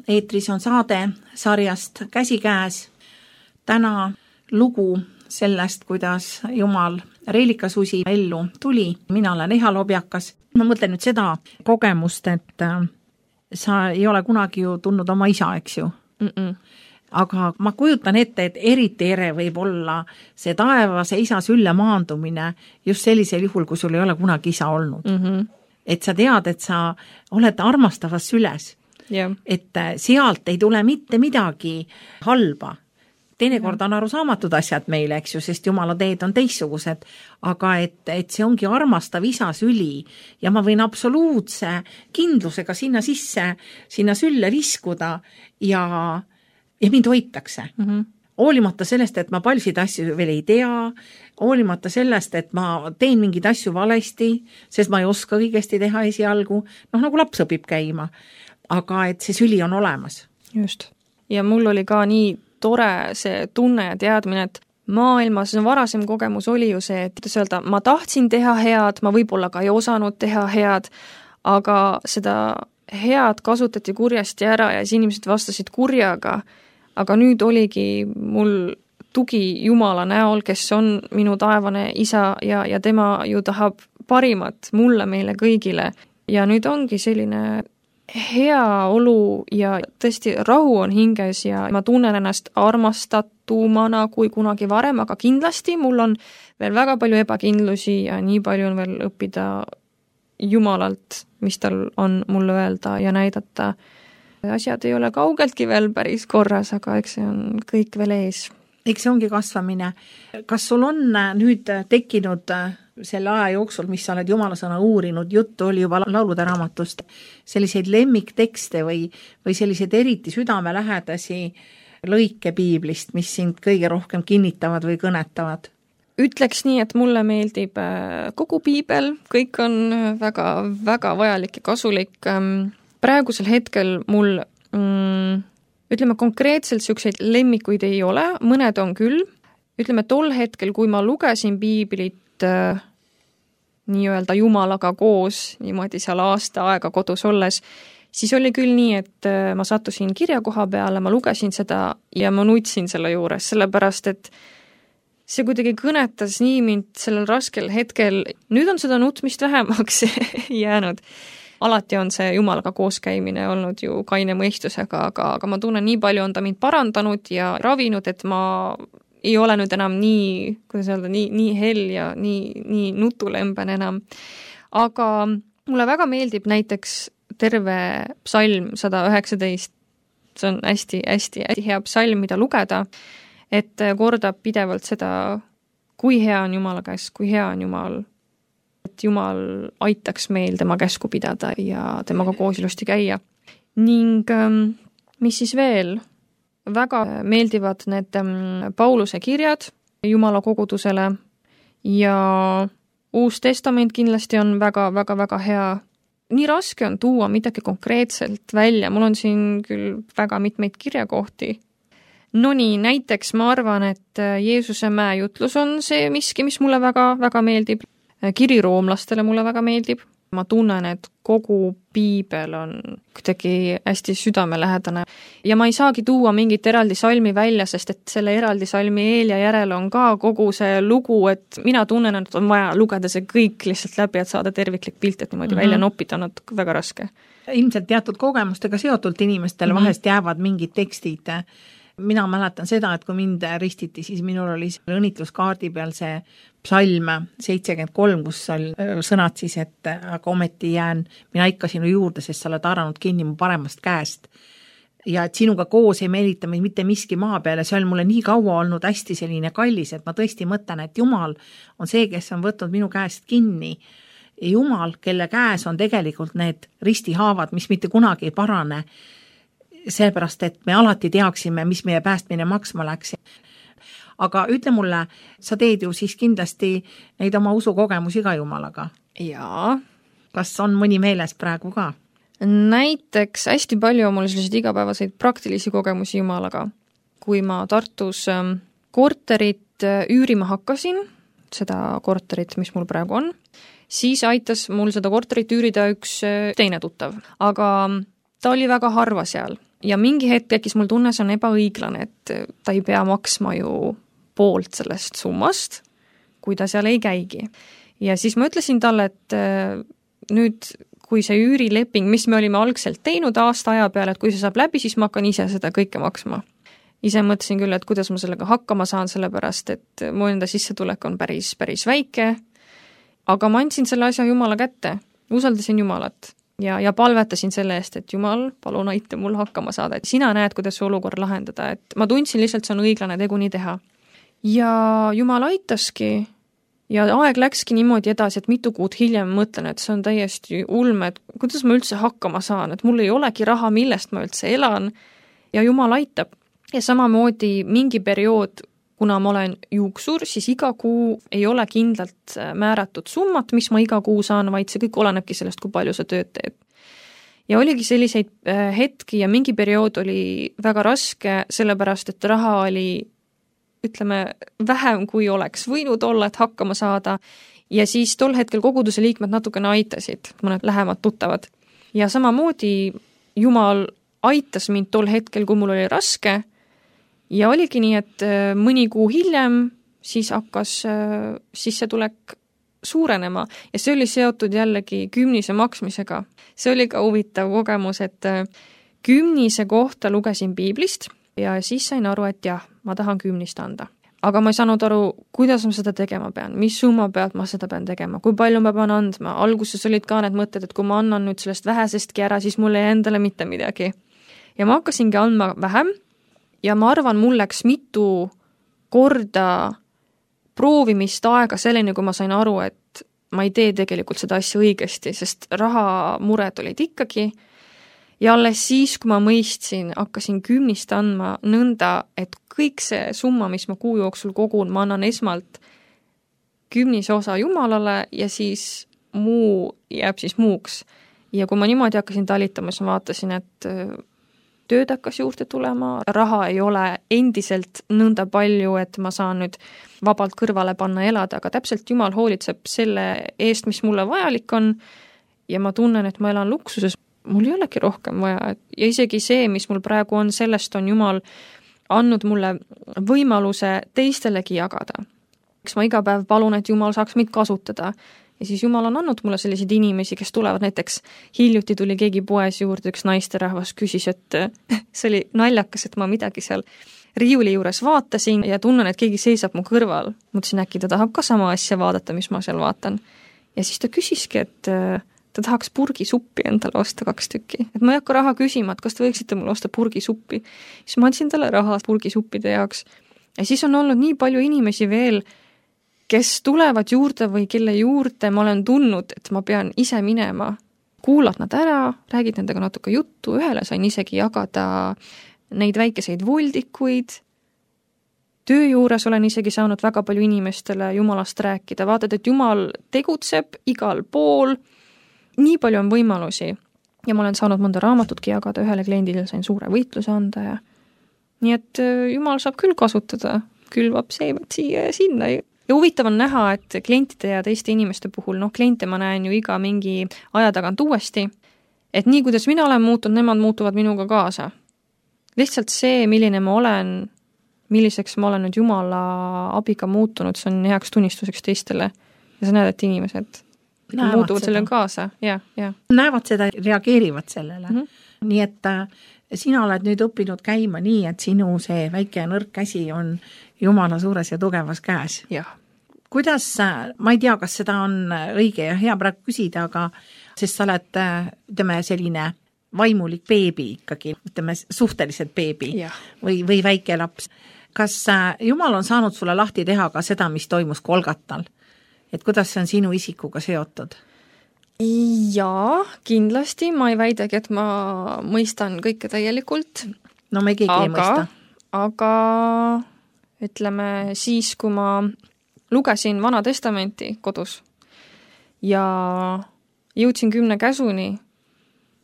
eetris on saade sarjast Käsikäes. Täna lugu sellest, kuidas Jumal Reelika-Susi ellu tuli. Mina olen Eha Lobjakas. Ma mõtlen nüüd seda kogemust, et sa ei ole kunagi ju tundnud oma isa, eks ju? Mm-mm. Aga ma kujutan ette, et eriti ere võib olla see taevase isa sülle maandumine just sellisel juhul, kui sul ei ole kunagi isa olnud. Mm-hmm. Et sa tead, et sa oled armastavas süles. Yeah. Et sealt ei tule mitte midagi halba. Teinekord on arusaamatud asjad meile, eks ju, sest Jumala teed on teistsugused, aga et, et see ongi armastav isa süli ja ma võin absoluutse kindlusega sinna sisse, sinna sülle viskuda ja, ja mind hoitakse. Mm-hmm. Hoolimata sellest, et ma paljusid asju veel ei tea, hoolimata sellest, et ma teen mingeid asju valesti, sest ma ei oska õigesti teha esialgu, noh nagu laps õpib käima, aga et see süli on olemas. Just. Ja mul oli ka nii tore see tunne ja teadmine, et maailmas varasem kogemus oli ju see, et öelda, ma tahtsin teha head, ma võib-olla ka ei osanud teha head, aga seda head kasutati kurjasti ära ja siis inimesed vastasid kurjaga. Aga nüüd oligi mul tugi Jumala näol, kes on minu taevane isa ja, ja tema ju tahab parimat mulle, meile kõigile. Ja nüüd ongi selline hea olu ja tõesti rahu on hinges ja ma tunnen ennast armastatumana kui kunagi varem, aga kindlasti mul on veel väga palju ebakindlusi ja nii palju on veel õppida Jumalalt, mis tal on mulle öelda ja näidata. Asjad ei ole kaugeltki veel päris korras, aga eks see on kõik veel ees. Eks see ongi kasvamine. Kas sul on nüüd tekkinud selle aja jooksul, mis sa oled Jumala sõna uurinud, juttu oli juba laulude raamatust, selliseid lemmiktekste või, või selliseid eriti südamelähedasi lõike piiblist, mis sind kõige rohkem kinnitavad või kõnetavad? Ütleks nii, et mulle meeldib kogu piibel, kõik on väga, väga vajalik ja kasulik. Praegusel hetkel mul, mm, ütleme konkreetselt selliseid lemmikuid ei ole, mõned on küll. Ütleme tol hetkel, kui ma lugesin piiblit äh, nii-öelda Jumalaga koos, niimoodi seal aasta aega kodus olles, siis oli küll nii, et äh, ma sattusin kirjakoha peale, ma lugesin seda ja ma nutsin selle juures, sellepärast et see kuidagi kõnetas nii mind sellel raskel hetkel. Nüüd on seda nutmist vähemaks jäänud. Alati on see Jumalaga kooskäimine olnud ju kaine mõistusega, aga, aga ma tunnen, nii palju on ta mind parandanud ja ravinud, et ma ei ole nüüd enam nii, kuidas öelda, nii, nii hell ja nii, nii nutulemben enam. Aga mulle väga meeldib näiteks terve psalm sada üheksateist. See on hästi, hästi, hästi hea psalm, mida lugeda, et kordab pidevalt seda, kui hea on Jumala käes, kui hea on Jumal, et Jumal aitaks meil tema käsku pidada ja temaga koos ilusti käia. Ning mis siis veel? Väga meeldivad need Pauluse kirjad Jumala kogudusele ja Uus Testament kindlasti on väga, väga, väga hea. Nii raske on tuua midagi konkreetselt välja. Mul on siin küll väga mitmeid kirjakohti. No nii, näiteks ma arvan, et Jeesuse mäejutlus on see miski, mis mulle väga, väga meeldib. Kiri roomlastele mulle väga meeldib. Ma tunnen, et kogu piibel on kuidagi hästi südamelähedane. Ja ma ei saagi tuua mingit eraldi salmi välja, sest et selle eraldi salmi eel ja järel on ka kogu see lugu, et mina tunnen, et on vaja lugeda see kõik lihtsalt läbi, et saada terviklik pilt, et niimoodi mm-hmm. välja nopita on väga raske. Ilmselt teatud kogemustega seotult inimestel mm-hmm. vahest jäävad mingid tekstid. Mina mäletan seda, et kui mind ristiti, siis minul oli õnnitluskaardi peal see psalm seitsekümmend kolm, kus sõnad siis, et aga ometi jään mina ikka sinu juurde, sest sa oled aranud kinni mu paremast käest. Ja et sinuga koos ei meelita meid mitte miski maa peale, see on mulle nii kaua olnud hästi selline kallis, et ma tõesti mõtlen, et Jumal on see, kes on võtnud minu käest kinni. Ja Jumal, kelle käes on tegelikult need ristihaavad, mis mitte kunagi ei parane, sellepärast, et me alati teaksime, mis meie päästmine maksma läks. Aga ütle mulle, sa teed ju siis kindlasti neid oma usukogemusi ka Jumalaga? Jaa. Kas on mõni meeles praegu ka? Näiteks hästi palju on mul selliseid igapäevaseid praktilisi kogemusi Jumalaga. Kui ma Tartus korterit üürima hakkasin, seda korterit, mis mul praegu on, siis aitas mul seda korterit üürida üks teine tuttav. Aga ta oli väga harva seal. ja mingi hetk tekkis mul tunne, see on ebaõiglane, et ta ei pea maksma ju poolt sellest summast, kui ta seal ei käigi. Ja siis ma ütlesin talle, et nüüd, kui see üürileping, mis me olime algselt teinud aasta aja peale, et kui see saab läbi, siis ma hakkan ise seda kõike maksma. Ise mõtlesin küll, et kuidas ma sellega hakkama saan, sellepärast, et mu enda sissetulek on päris, päris väike, aga ma andsin selle asja Jumala kätte, usaldasin Jumalat ja, ja palvetasin selle eest, et Jumal, palun aita mul hakkama saada, et sina näed, kuidas see olukord lahendada, et ma tundsin lihtsalt, see on õiglane tegu nii teha. Ja Jumal aitaski ja aeg läkski niimoodi edasi, et mitu kuud hiljem mõtlen, et see on täiesti ulme, et kuidas ma üldse hakkama saan, et mul ei olegi raha, millest ma üldse elan ja Jumal aitab. Ja samamoodi mingi periood, kuna ma olen juuksur, siis iga kuu ei ole kindlalt määratud summat, mis ma iga kuu saan, vaid see kõik olenebki sellest, kui palju sa tööd teed. Ja oligi selliseid hetki ja mingi periood oli väga raske, sellepärast, et raha oli ütleme, vähem kui oleks võinud olla, et hakkama saada. Ja siis tol hetkel koguduse liikmed natukene aitasid, mõned lähemad tuttavad. Ja samamoodi Jumal aitas mind tol hetkel, kui mul oli raske. Ja oligi nii, et mõni kuu hiljem siis hakkas sissetulek suurenema. Ja see oli seotud jällegi kümnise maksmisega. See oli ka huvitav kogemus, et kümnise kohta lugesin piiblist ja siis sain aru, et jah, ma tahan kümnist anda. Aga ma ei saanud aru, kuidas ma seda tegema pean, mis summa pealt ma seda pean tegema, kui palju ma pean andma. Alguses olid ka need mõtted, et kui ma annan nüüd sellest vähesestki ära, siis mul ei endale mitte midagi. Ja ma hakkasingi andma vähem ja ma arvan, mul läks mitu korda proovimist aega selleni, kui ma sain aru, et ma ei tee tegelikult seda asja õigesti, sest rahamured olid ikkagi. Ja alles siis, kui ma mõistsin, hakkasin kümnist andma nõnda, et kõik see summa, mis ma kuu jooksul kogun, ma annan esmalt kümnise osa Jumalale ja siis muu jääb siis muuks. Ja kui ma niimoodi hakkasin talitama, siis ma vaatasin, et tööd hakkas juurde tulema, raha ei ole endiselt nõnda palju, et ma saan nüüd vabalt kõrvale panna elada, aga täpselt Jumal hoolitseb selle eest, mis mulle vajalik on ja ma tunnen, et ma elan luksuses. Mul ei olegi rohkem vaja ja isegi see, mis mul praegu on, sellest on Jumal andnud mulle võimaluse teistelegi jagada. Eks ma iga päev palun, et Jumal saaks meid kasutada ja siis Jumal on andnud mulle selliseid inimesi, kes tulevad näiteks, hiljuti tuli keegi poes juurde, üks naisterahvas küsis, et see oli naljakas, et ma midagi seal riiuli juures vaatasin ja tunnen, et keegi seisab mu kõrval. Mõtlesin, äkki ta tahab ka sama asja vaadata, mis ma seal vaatan. Ja siis ta küsiski, et ta tahaks purgisuppi endale osta kaks tükki. Et ma ei hakka raha küsima, et kas te võiksite mulle osta purgisuppi. Siis ma andsin talle raha purgisuppide jaoks. Ja siis on olnud nii palju inimesi veel, kes tulevad juurde või kelle juurde ma olen tundnud, et ma pean ise minema. Kuulad nad ära, räägid nendega natuke juttu, ühele sain isegi jagada neid väikeseid voldikuid. Töö juures olen isegi saanud väga palju inimestele Jumalast rääkida. Vaatad, et Jumal tegutseb igal pool. Nii palju on võimalusi ja ma olen saanud mõnda raamatutki jagada, ühele kliendile sain suure võitluse anda ja nii et Jumal saab küll kasutada, külvab seevad siia ja sinna ja huvitav on näha, et klientide ja teiste inimeste puhul, noh kliente ma näen ju iga mingi aja tagant uuesti, et nii kuidas mina olen muutunud, nemad muutuvad minuga kaasa. Lihtsalt see, milline ma olen, milliseks ma olen nüüd Jumala abiga muutunud, see on heaks tunnistuseks teistele ja sa näed, et inimesed näevad muutuvad selle kaasa, ja, ja. Näevad seda, reageerivad sellele. Mm -hmm. Nii et äh, sina oled nüüd õppinud käima nii, et sinu see väike ja nõrk käsi on Jumala suures ja tugevas käes. Jah. Kuidas, ma ei tea, kas seda on õige ja hea praegu küsida, aga sest sa oled, ütleme, selline vaimulik beebi ikkagi, ütleme, suhteliselt beebi ja. või, või väike laps. Kas Jumal on saanud sulle lahti teha ka seda, mis toimus Kolgatal? Et kuidas see on sinu isikuga seotud? Jaa, kindlasti. Ma ei väidagi, et ma mõistan kõike täielikult. No me keegi aga, ei mõista. Aga ütleme, siis kui ma lugesin Vana Testamenti kodus ja jõudsin kümne käsuni,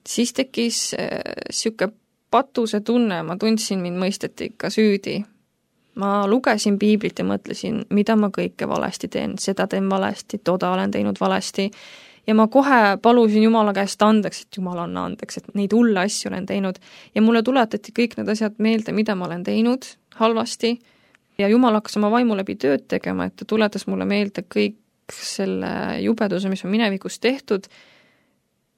siis tekkis siuke patuse tunne, ma tundsin, mind mõisteti ikka süüdi. Ma lugesin piiblit ja mõtlesin, mida ma kõike valesti teen, seda teen valesti, toda olen teinud valesti. ja ma kohe palusin Jumala käest andeks, et Jumal anna andeks, et neid hulle asju olen teinud. Ja mulle tuletati kõik need asjad meelde, mida ma olen teinud halvasti ja Jumal hakkas oma vaimu läbi tööd tegema, et ta tuletas mulle meelde kõik selle jubeduse, mis on minevikus tehtud,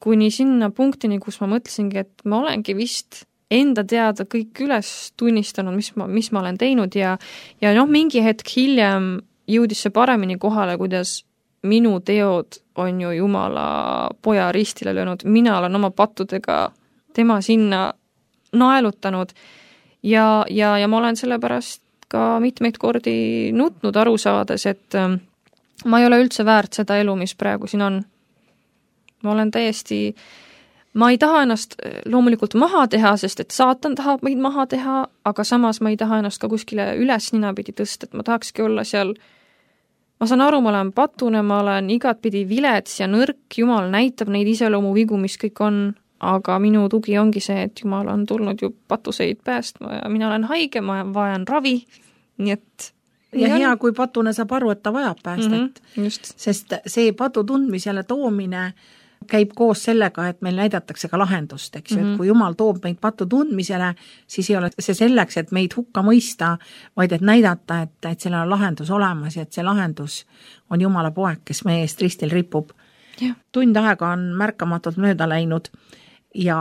kuni sinna punktini, kus ma mõtlesingi, et ma olengi vist enda teada kõik üles tunnistanud, mis ma, mis ma olen teinud ja, ja noh, mingi hetk hiljem jõudis see paremini kohale, kuidas minu teod on ju Jumala poja ristile löönud, mina olen oma pattudega tema sinna naelutanud ja, ja, ja ma olen sellepärast ka mitmeid kordi nutnud aru saades, et ma ei ole üldse väärt seda elu, mis praegu siin on. Ma olen täiesti, ma ei taha ennast loomulikult maha teha, sest et saatan tahab meid maha teha, aga samas ma ei taha ennast ka kuskile üles ninapidi tõsta, et ma tahakski olla seal. Ma saan aru, ma olen patune, ma olen igatpidi vilets ja nõrk, Jumal näitab neid iseloomu vigu, mis kõik on, aga minu tugi ongi see, et Jumal on tulnud ju patuseid päästma ja mina olen haige, ma vajan ravi, nii et ja hea, on... kui patune saab aru, et ta vajab päästet, mm-hmm, just. Sest see patu tundmisele toomine käib koos sellega, et meil näidatakse ka lahendust, eks ju, mm-hmm. et kui Jumal toob meid patu tundmisele, siis ei ole see selleks, et meid hukka mõista, vaid et näidata, et, et sellel on lahendus olemas ja et see lahendus on Jumala poeg, kes meie eest ristil ripub. Yeah. Tund aega on märkamatult mööda läinud ja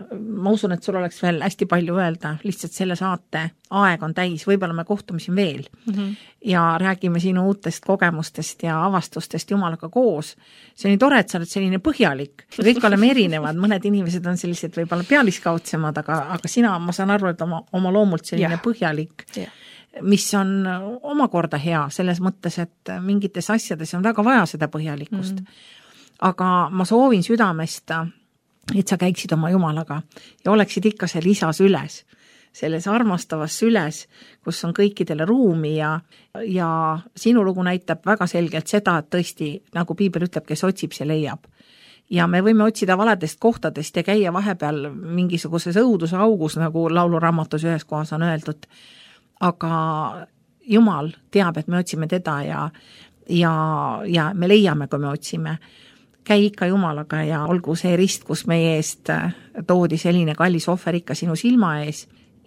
ma usun, et sul oleks veel hästi palju öelda, lihtsalt selle saate aeg on täis, võib-olla me kohtume siin veel mm-hmm. ja räägime sinu uutest kogemustest ja avastustest Jumalaga koos. See on nii tore, et sa oled selline põhjalik. Kõik oleme erinevad, mõned inimesed on sellised võib-olla pealiskaudsemad, aga, aga sina, ma saan aru, et oma, oma loomult selline ja. põhjalik, ja. mis on omakorda hea selles mõttes, et mingites asjades on väga vaja seda põhjalikkust. Mm-hmm. Aga ma soovin südamest, et sa käiksid oma Jumalaga ja oleksid ikka seal isas üles, selles armastavas süles, kus on kõikidele ruumi ja, ja sinu lugu näitab väga selgelt seda, et tõesti, nagu Piibel ütleb, kes otsib, see leiab. Ja me võime otsida valedest kohtadest ja käia vahepeal mingisuguses õuduse augus, nagu lauluraamatus ühes kohas on öeldud. Aga Jumal teab, et me otsime teda ja, ja, ja me leiame, kui me otsime. Käi ikka Jumalaga ja olgu see rist, kus meie eest toodi selline kallis ohver ikka sinu silma ees.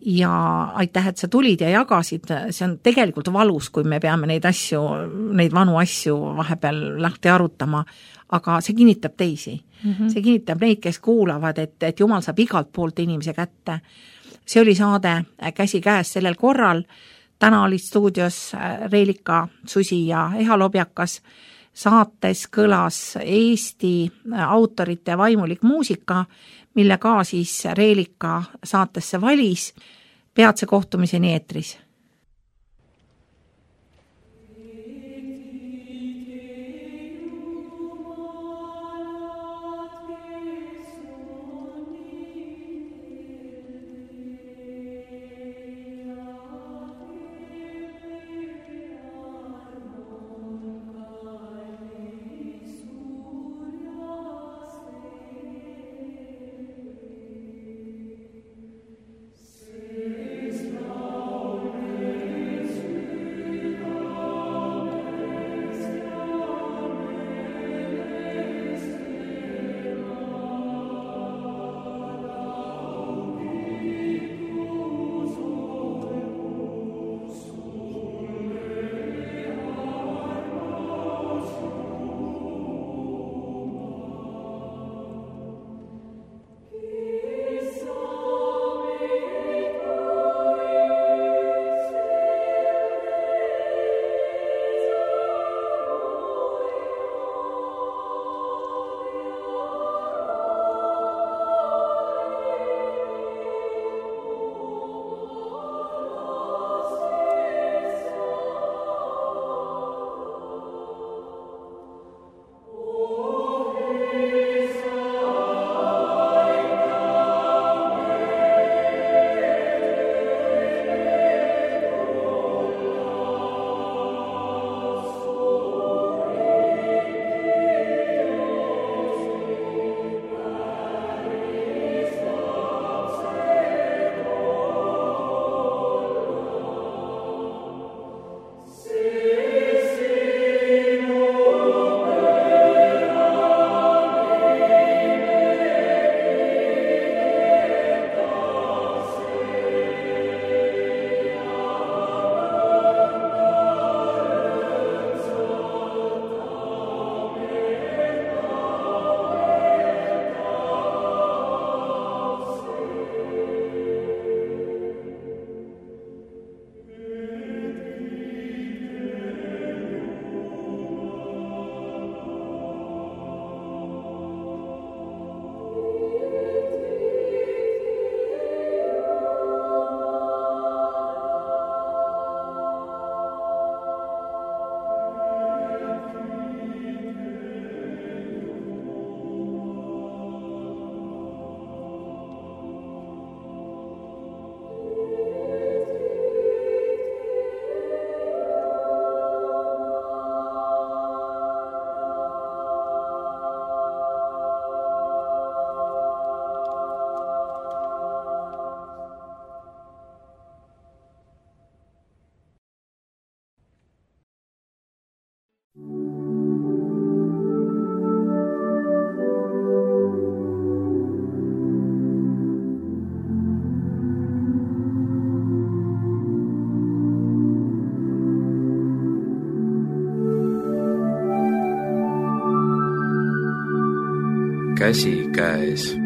Ja aitäh, et sa tulid ja jagasid, see on tegelikult valus, kui me peame neid asju, neid vanu asju vahepeal lahti arutama, aga see kinnitab teisi. Mm-hmm. See kinnitab neid, kes kuulavad, et, et Jumal saab igalt poolt inimese kätte. See oli saade Käsi käes sellel korral. Täna olid stuudios Reelika, Susi ja Eha Lobjakas. Saates kõlas Eesti autorite vaimulik muusika, mille ka siis Reelika saatesse valis. Peatse kohtumiseni eetris. käsikäes.